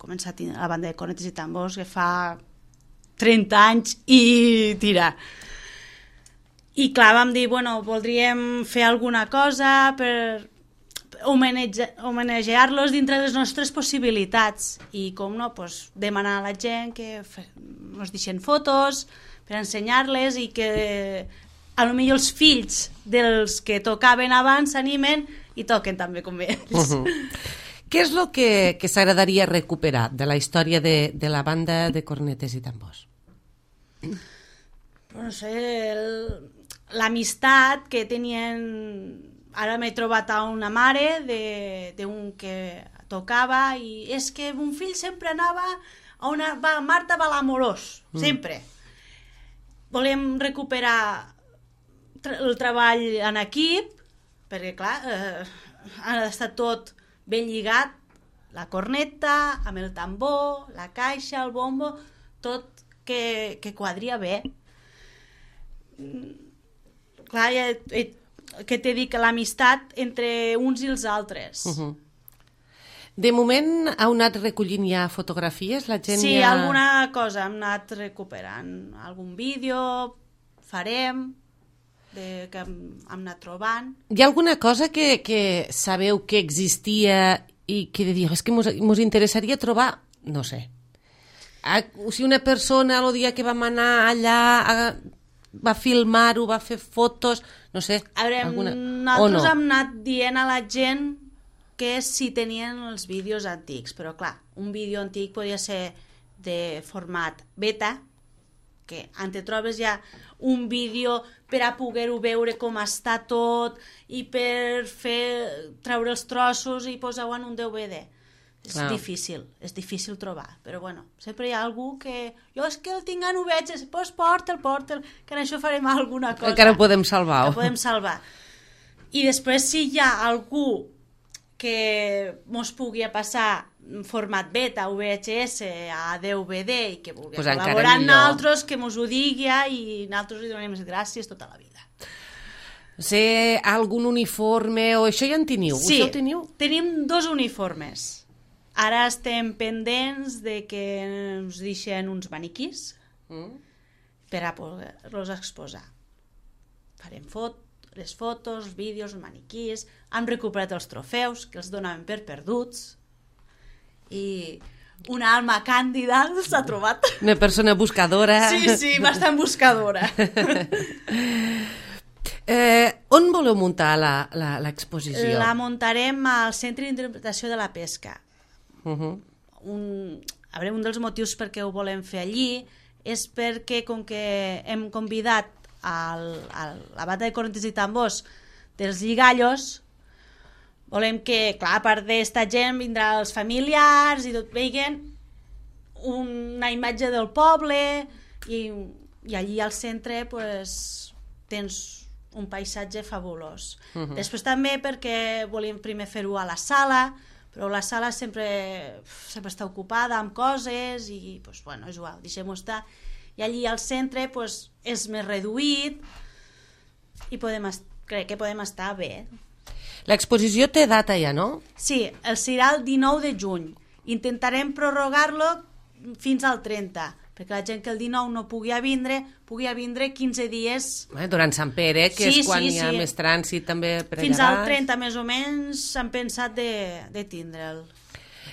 començar a tenir la banda de cornetes i tambors, que fa trenta anys i tira. I clar, vam dir, bueno, voldríem fer alguna cosa per homenajear-los dintre de les nostres possibilitats i, com no, pues, demanar a la gent que ens deixen fotos per ensenyar-les i que a lo millor els fills dels que tocaven abans s'animen i toquen també com ells. Uh-huh. Què és el que, que s'agradaria recuperar de la història de, de la banda de cornetes i tambors? No sé, l'amistat que tenien... Ara m'he trobat a una mare d'un que tocava i és que un fill sempre anava a una... Va, Marta va a l'Amorós, mm. sempre. Volem recuperar el treball en equip, perquè, clar, eh, ha d'estar tot ben lligat, la corneta, amb el tambor, la caixa, el bombo, tot que, que quadria bé. Clar, ja, eh, que t'he dit que l'amistat entre uns i els altres. Uh-huh. De moment heu anat recollint ja fotografies? La gent sí, ja... alguna cosa hem anat recuperant. Algun vídeo farem, de, que hem, hem anat trobant. Hi ha alguna cosa que, que sabeu que existia i que de dir, és que mos, mos interessaria trobar, no sé, a, si una persona el dia que vam anar allà a, va filmar-ho, va fer fotos, no sé. A veure, alguna... nosaltres no? hem anat dient a la gent que si tenien els vídeos antics, però clar, un vídeo antic podia ser de format beta, que en te trobes ja un vídeo per a poder-ho veure com està tot i per fer treure els trossos i posar-ho en un D V D. És wow. difícil, és difícil trobar, però bueno, sempre hi ha algú que jo és que el tinc en U V H, doncs porta'l, porta'l, que en això farem alguna cosa. Encara ho podem salvar. Ho podem salvar. I després si hi ha algú que mos pugui passar format beta, U V H S, a D V D i que vulgui pues col·laborar amb nosaltres, que mos ho digui i nosaltres li donem les gràcies tota la vida. Sé algun uniforme o això ja en teniu? Sí, això teniu? Tenim dos uniformes. Ara estem pendents de que ens deixen uns maniquís mm. per a poder-los exposar. Farem fotos, les fotos, els vídeos, els maniquís, hem recuperat els trofeus que els donaven per perduts i una alma càndida s'ha trobat. Una persona buscadora. Sí, sí, bastant buscadora. eh, on voleu muntar l'exposició? La, la muntarem al Centre d'Interpretació de la Pesca. Uh-huh. un, a veure, un dels motius per què ho volem fer allí és perquè com que hem convidat al, al, la banda de cornetes i tambors dels Lligallos, volem que, clar, a part d'esta gent vindrà els familiars i tot veguen una imatge del poble i, i allí al centre pues, tens un paisatge fabulós. Uh-huh. Després també perquè volíem primer fer-ho a la sala, però la sala sempre, sempre està ocupada amb coses i, pues, bueno, és igual, deixem-ho estar. I allí al centre pues, és més reduït i podem crec que podem estar bé. L'exposició té data ja, no? Sí, el serà el dinou de juny. Intentarem prorrogar-lo fins al trenta, perquè la gent que el dinou no pugui a vindre, pugui a vindre quinze dies... Eh, durant Sant Pere, que sí, és quan sí, hi ha sí. més trànsit també per allà. Fins al trenta, més o menys, s'han pensat de, de tindre'l.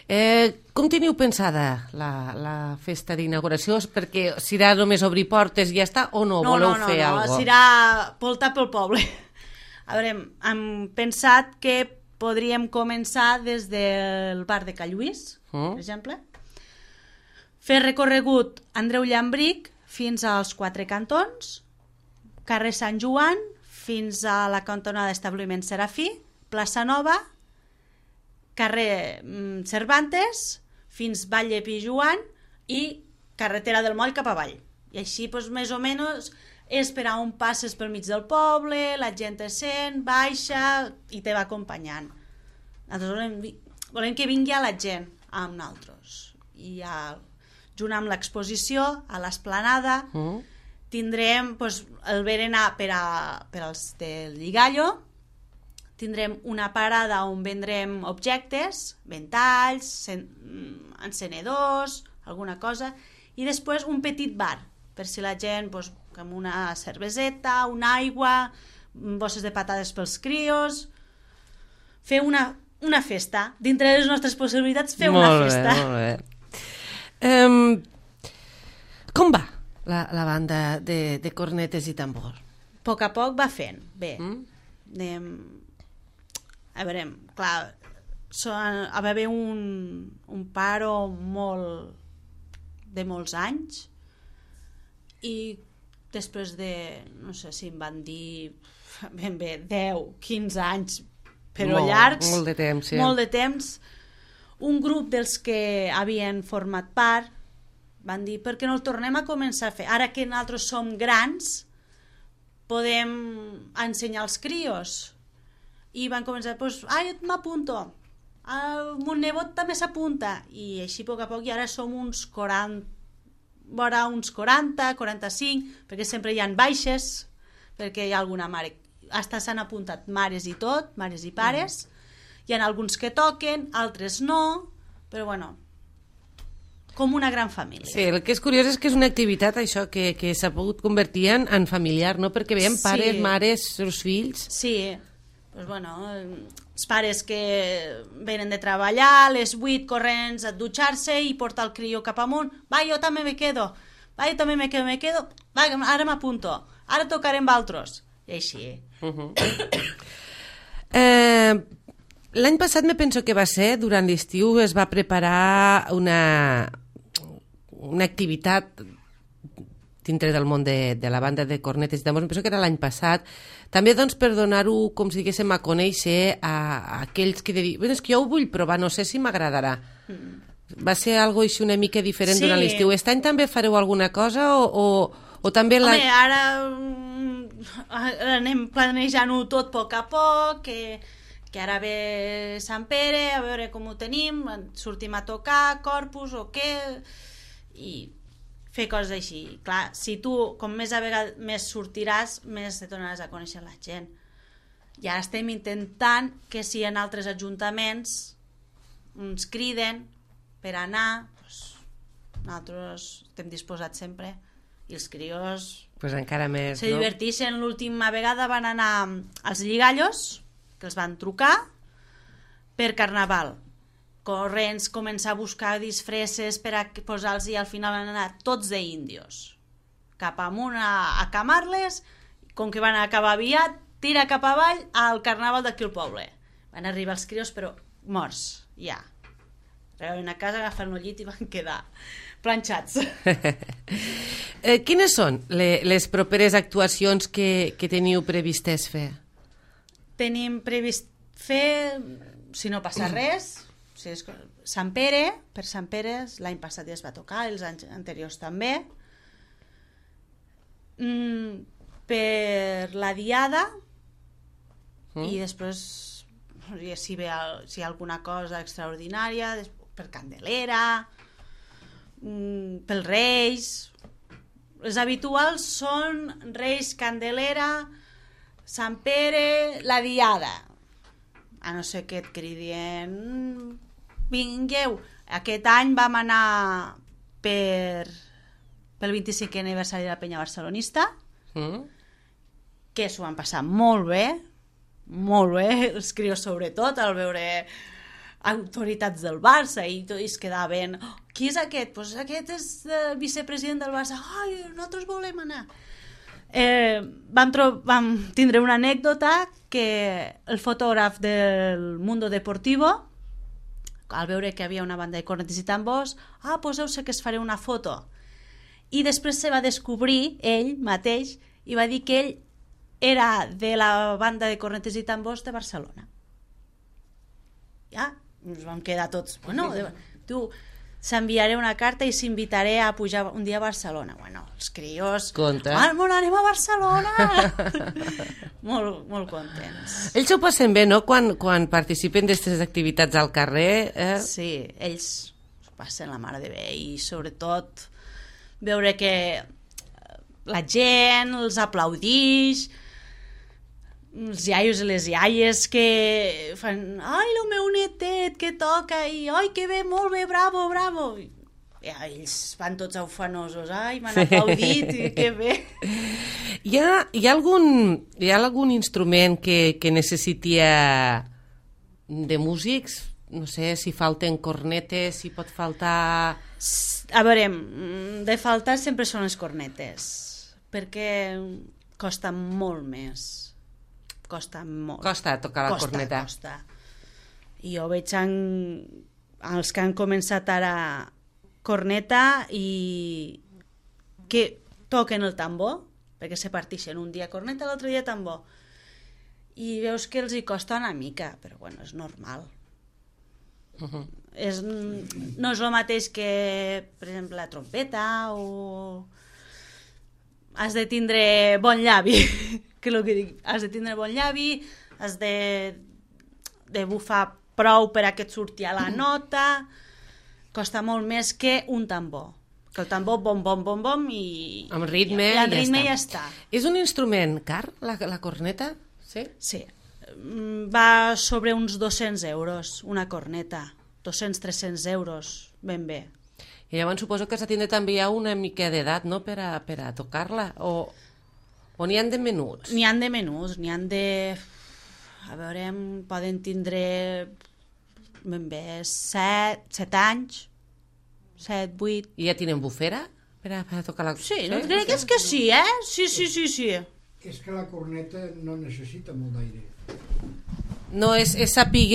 Eh, com teniu pensada la, la festa d'inauguració? Perquè serà només obrir portes i ja està, o no? No, voleu no, no, fer no, alguna cosa? Serà voltar pel poble. A veure, hem pensat que podríem començar des del bar de Calluís, mm. per exemple, fer recorregut Andreu Llambric fins als Quatre Cantons, carrer Sant Joan fins a la cantonada d'Establiment Serafí, plaça Nova, carrer Cervantes fins Vall de Pijuan i carretera del moll cap avall. I així, doncs, més o menys, és per a on passes pel mig del poble, la gent te sent, baixa i te va acompanyant. Nosaltres volem, volem que vingui la gent amb nosaltres. I a, junt amb l'exposició, a l'esplanada, mm. tindrem doncs, el berenar per, a, per als del Lligallo, tindrem una parada on vendrem objectes, ventalls, sen, encenedors, alguna cosa, i després un petit bar, per si la gent, doncs, amb una cerveseta, una aigua, bosses de patades pels crios, fer una, una festa. Dintre de les nostres possibilitats, fer molt una bé, festa. Molt bé. Um, com va la, la banda de, de cornetes i tambor? A poc a poc va fent, bé. Mm? Anem... A veure, clar, són, va haver un, un paro molt de molts anys i després de, no sé si em van dir ben bé, deu, quinze anys, però molt, llargs, molt de temps, sí. molt de temps, un grup dels que havien format part van dir, per què no el tornem a començar a fer? Ara que nosaltres som grans, podem ensenyar als crios. I van començar, doncs, ah, jo m'apunto, el mon nebot també s'apunta, i així a poc a poc, i ara som uns quaranta, vora uns quaranta, quaranta-cinc, perquè sempre hi ha baixes, perquè hi ha alguna mare, hasta s'han apuntat mares i tot, mares i pares, mm. hi ha alguns que toquen, altres no, però bueno, com una gran família. Sí, el que és curiós és que és una activitat, això, que, que s'ha pogut convertir en, en familiar, no? Perquè veiem Sí. pares, mares, seus fills... Sí, pues bueno, els pares que venen de treballar, a les vuit corrents a dutxar-se i portar el crió cap amunt, va, jo també me quedo, va, jo també me quedo, me quedo, va, ara m'apunto, ara tocarem valtros, i així. Uh -huh. eh, L'any passat me penso que va ser, durant l'estiu es va preparar una, una activitat dintre del món de, de la banda de cornetes i tambors, penso que era l'any passat, també doncs per donar-ho, com si diguéssim, a conèixer a, a aquells que de dir, bueno, és que jo ho vull provar, no sé si m'agradarà. Mm. Va ser algo així una mica diferent Sí. durant l'estiu. Aquest any també fareu alguna cosa o, o, o també... La... Home, ara, ara anem planejant-ho tot a poc a poc, que, que ara ve Sant Pere, a veure com ho tenim, sortim a tocar, Corpus o què, i fer coses així. Clar, si tu, com més a vegades més sortiràs, més te tornaràs a conèixer la gent. I ara estem intentant que si en altres ajuntaments ens criden per anar, doncs, nosaltres estem disposats sempre, i els crios Pues encara més, se no? diverteixen. L'última vegada van anar als Lligallos, que els van trucar per Carnaval. Corrents, començar a buscar disfresses per a posar-los, i al final van anar tots d'índios cap amunt a, a camar-les, com que van acabar aviat, tira cap avall al Carnaval d'aquí al poble. Van arribar els crios però morts, ja. Arribaven a casa, agafen el llit i van quedar planxats. eh, quines són le, les properes actuacions que, que teniu previstes fer? Tenim previst fer, si no passa res, si és Sant Pere, per Sant Pere, l'any passat ja es va tocar, els anys anteriors també. Mm, per la Diada, mm. i després, si, ve, si hi ha alguna cosa extraordinària, per Candelera, mm, pel Reis. Les habituals són Reis, Candelera, Sant Pere, la Diada. A no ser que et cridien, vingueu. Aquest any vam anar per, pel vint-i-cinquè aniversari de la Penya Barcelonista, mm. que s'ho van passar molt bé, molt bé, els crios sobretot, al veure autoritats del Barça, i tots es quedaven, oh, qui és aquest? Pues aquest és el vicepresident del Barça. Ai, nosaltres volem anar. Eh, vam, vam tindre una anècdota que el fotògraf del Mundo Deportivo, al veure que havia una banda de cornetes i tambors, ah, poseu sé que es faré una foto. I després se va descobrir ell mateix i va dir que ell era de la banda de cornetes i tambors de Barcelona. Ja, ens vam quedar tots, bueno, tu, s'enviaré una carta i s'invitaré a pujar un dia a Barcelona. Bueno, els crios... Conta. Ah, bueno, anem a Barcelona! molt, molt contents. Ells ho passen bé, no?, quan, quan participen d'aquestes activitats al carrer. Eh? Sí, ells ho passen la mare de bé i sobretot veure que la gent els aplaudix, els iaios i les iaies que fan ai, el meu netet que toca i ai, que bé, molt bé, bravo, bravo i ja, ells van tots ufanosos, ai, m'han aplaudit i que bé. Hi ha, hi ha, algun, hi ha algun instrument que, que necessiti de músics? No sé, si falten cornetes, si pot faltar... A veure, de faltar sempre són les cornetes, perquè costa molt més. Costa molt. Costa tocar la costa, corneta. Costa. I jo veig en, els que han començat ara corneta i que toquen el tambor, perquè se partixen un dia corneta, l'altre dia tambor. I veus que els hi costa una mica, però bueno, és normal. Uh-huh. És, no és el mateix que, per exemple, la trompeta o... Has de tindre bon llavi, que és el que dic, has de tindre bon llavi, has de, de bufar prou per a que et surti a la nota, costa molt més que un tambor, que el tambor bom, bom, bom, bom i... Amb ritme, i, i amb ja, ritme està. ja està. És un instrument car, la, la corneta? Sí? Sí, va sobre uns dos-cents euros, una corneta, dos-cents tres-cents euros, ben bé. I llavors suposo que s'ha de tindre també una mica d'edat, no?, per a, per a tocar-la, o, o n'hi han de menuts? N'hi han de menuts, n'hi han de... A veure, poden tindre ben bé set, set anys, set, vuit... I ja tenen bufera per a, per a tocar la... Sí, no, crec que és que sí, eh? Sí, sí, sí, sí. És que la corneta no necessita molt d'aire. No, és, és, saber,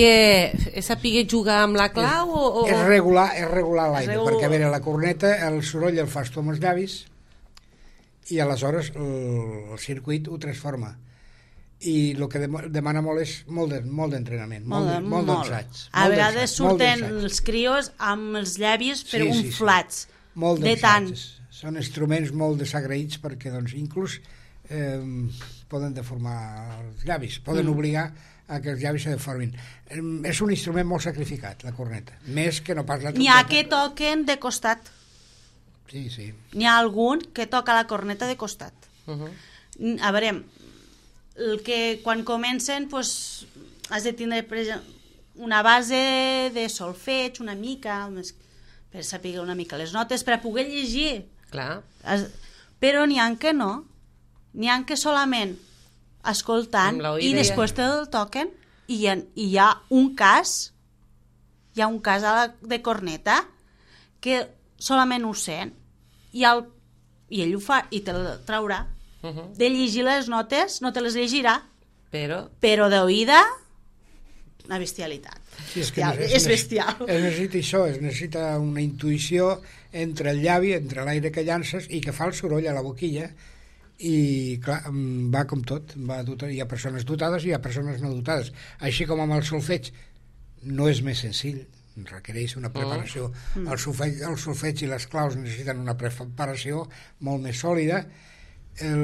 és saber jugar amb la clau o... o... És regular, és regular l'aire, Regu... perquè a veure, la corneta, el soroll el fas tu amb els llavis i aleshores el, el circuit ho transforma. I el que demana molt és molt de, molt d'entrenament, molt, molt, molt d'ensaig. A vegades surten els crios amb els llavis per sí, unflats. Sí, sí. Molt de tant. Són instruments molt desagraïts perquè doncs, inclús eh, poden deformar els llavis, poden mm. obligar a que els llavis se deformin. Eh, és un instrument molt sacrificat, la corneta, més que no pas la trompeta. N'hi ha que toquen de costat. Sí, sí. N'hi ha algun que toca la corneta de costat. Uh -huh. A veure, el que quan comencen pues, has de tindre una base de solfeig una mica, per saber una mica les notes, per a poder llegir. Clar. Has... Però n'hi ha que no. N'hi ha que solament escoltant i després te el toquen i hi, ha, i hi ha un cas hi ha un cas a la, de corneta que solament ho sent i, el, i ell ho fa i te el traurà. Uh -huh. De llegir les notes no te les llegirà, però, però d'oïda una bestialitat. Sí, és, que bestial. es, és bestial. Es necessita això, es necessita una intuïció entre el llavi, entre l'aire que llances i que fa el soroll a la boquilla. I clar, va com tot, va dotar, hi ha persones dotades i hi ha persones no dotades, així com amb el solfeig no és més senzill, requereix una preparació. Mm. el, solfeig, el solfeig i les claus necessiten una preparació molt més sòlida.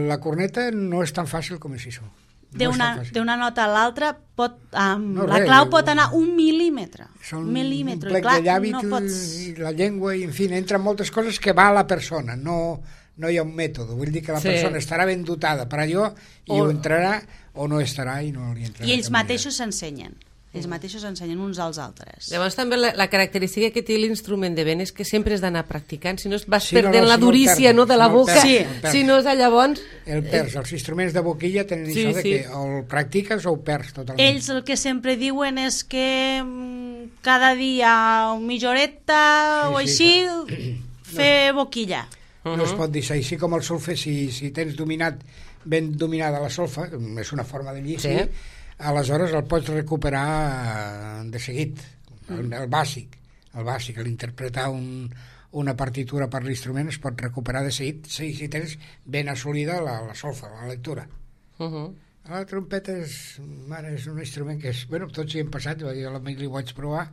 La corneta no és tan fàcil com és això. D'una no nota a l'altra pot, um, no, la res, clau pot anar un mil·límetre. Són mil·límetre. un plec clar, de llavi no pots... i la llengua, i en fi, entren moltes coses que va a la persona, no... no hi ha un mètode, vull dir que la sí. persona estarà ben dotada per allò i o... ho entrarà o no estarà i no li entrarà. I ells mateixos s'ensenyen, ells mateixos s'ensenyen uns als altres. Llavors també la, la característica que té l'instrument de vent és que sempre has d'anar practicant, si no es vas sí, perdent no, no, la si durícia no, no, de la no boca, perds, sí. no si no és llavors... El perds, els instruments de boquilla tenen sí, això de sí. que o el practiques o ho perds totalment. Ells el que sempre diuen és que cada dia mitja horeta sí, o així sí. fer boquilla. No es pot dir així com el solfe, si, si tens dominat ben dominada la solfa, és una forma de llegir, sí. aleshores el pots recuperar de seguit, el, el bàsic, el bàsic, l'interpretar un, una partitura per l'instrument es pot recuperar de seguit si, si tens ben assolida la, la solfa, la lectura. Uh -huh. La trompeta és, mare, és un instrument que és, bueno, tots hi hem passat, jo l'amic li ho vaig provar,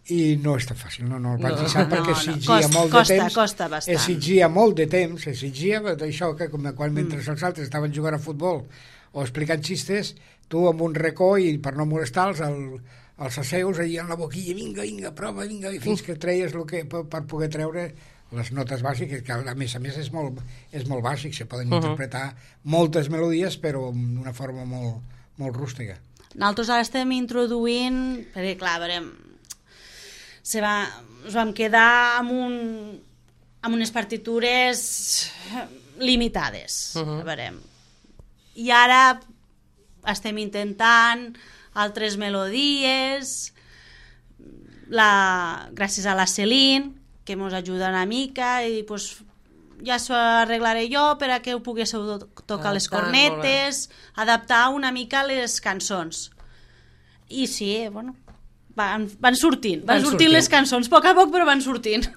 i no és tan fàcil, no, no el vaig No. deixar perquè No, no, exigia costa- molt costa- de temps, costa bastant. exigia molt de temps, exigia d'això que com quan mentre Mm. els altres estaven jugant a futbol o explicant xistes, tu amb un racó i per no molestar-los el, els asseus allà en la boquilla, vinga, vinga, prova, vinga, i fins que treies el que, per, per poder treure les notes bàsiques, que a més a més és molt, és molt bàsic, se poden Uh-huh. interpretar moltes melodies però d'una forma molt, molt rústica. Nosaltres ara estem introduint, perquè clar, a veure, se va, ens vam quedar amb, un, amb unes partitures limitades, Uh-huh. a veure, i ara estem intentant altres melodies, la, gràcies a la Celine, que ens ajuda una mica, i pues, ja s'ho arreglaré jo per a que ho poguéssiu to- tocar les Adaptar, molt bé. cornetes, adaptar una mica les cançons. I sí, bueno, van, van sortint, van, Van sortint, sortint. les cançons, a poc a poc, però van sortint.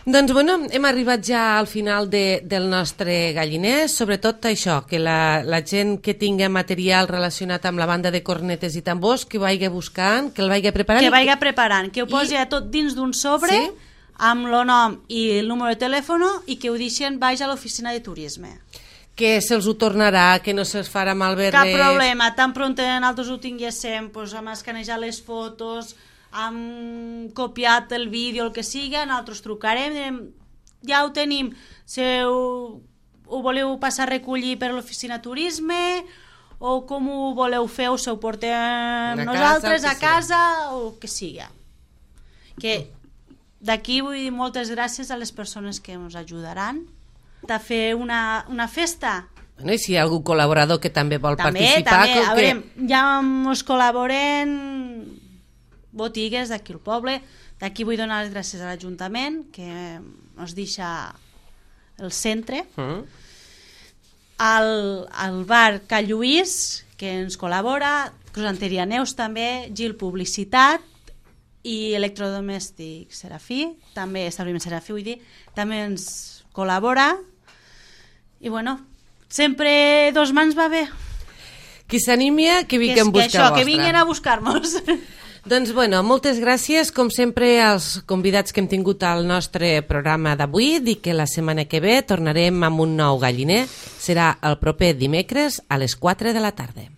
Doncs bueno, hem arribat ja al final de, del nostre galliner, sobretot això, que la, la gent que tinga material relacionat amb la banda de cornetes i tambors, que ho vagi buscant, que el vagi preparant. Que i vagi preparant, que ho I- posi I... tot dins d'un sobre, Sí? amb el nom i el número de telèfon, i que ho deixen baix a l'oficina de turisme. que se'ls ho tornarà, que no se'ls farà malbé Cap res. problema, tan pront nosaltres ho tinguéssim, doncs, hem escanejat les fotos, hem copiat el vídeo, el que siga, nosaltres trucarem, direm, ja ho tenim, si ho, ho voleu passar a recollir per l'oficina turisme, o com ho voleu fer, o se ho portem casa, nosaltres el que a casa, o el que siga. Que d'aquí vull dir moltes gràcies a les persones que ens ajudaran a fer una, una festa. Bueno, i si hi ha algun col·laborador que també vol També, participar... també, com a que... veure, ja ens col·laboren botigues d'aquí al poble. D'aquí vull donar les gràcies a l'Ajuntament, que ens deixa el centre, Mm. al, al bar Cal Lluís, que ens col·labora, Crosanteria Neus també, Gil Publicitat i Electrodomèstic Serafí, també establiment Serafí, vull dir, també ens col·labora. I bueno, sempre dos mans va bé. Qui s'animi, que Que, vingui és, en que busca això, vostra. que vinguin a buscar-nos. Doncs bueno, moltes gràcies, com sempre, als convidats que hem tingut al nostre programa d'avui. Dic que la setmana que ve tornarem amb un nou galliner. Serà el proper dimecres a les quatre de la tarda.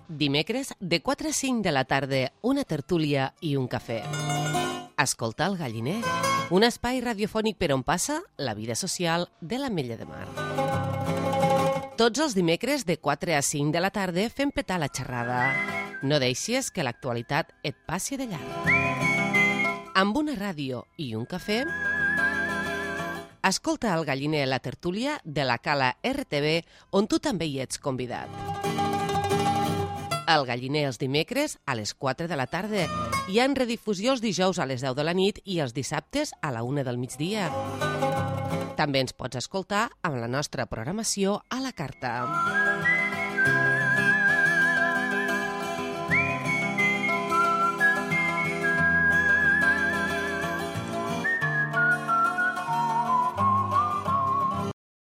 Dimecres, de quatre a cinc de la tarda, una tertúlia i un cafè. Escolta el galliner, un espai radiofònic per on passa la vida social de l'Ametlla de Mar. Tots els dimecres, de quatre a cinc de la tarda, fem petar la xerrada. No deixis que l'actualitat et passi de llarg. Amb una ràdio i un cafè, escolta el galliner la tertúlia de la Cala R T V, on tu també hi ets convidat. El galliner els dimecres a les quatre de la tarda i en redifusió els dijous a les deu de la nit i els dissabtes a la una del migdia. També ens pots escoltar amb la nostra programació a la carta.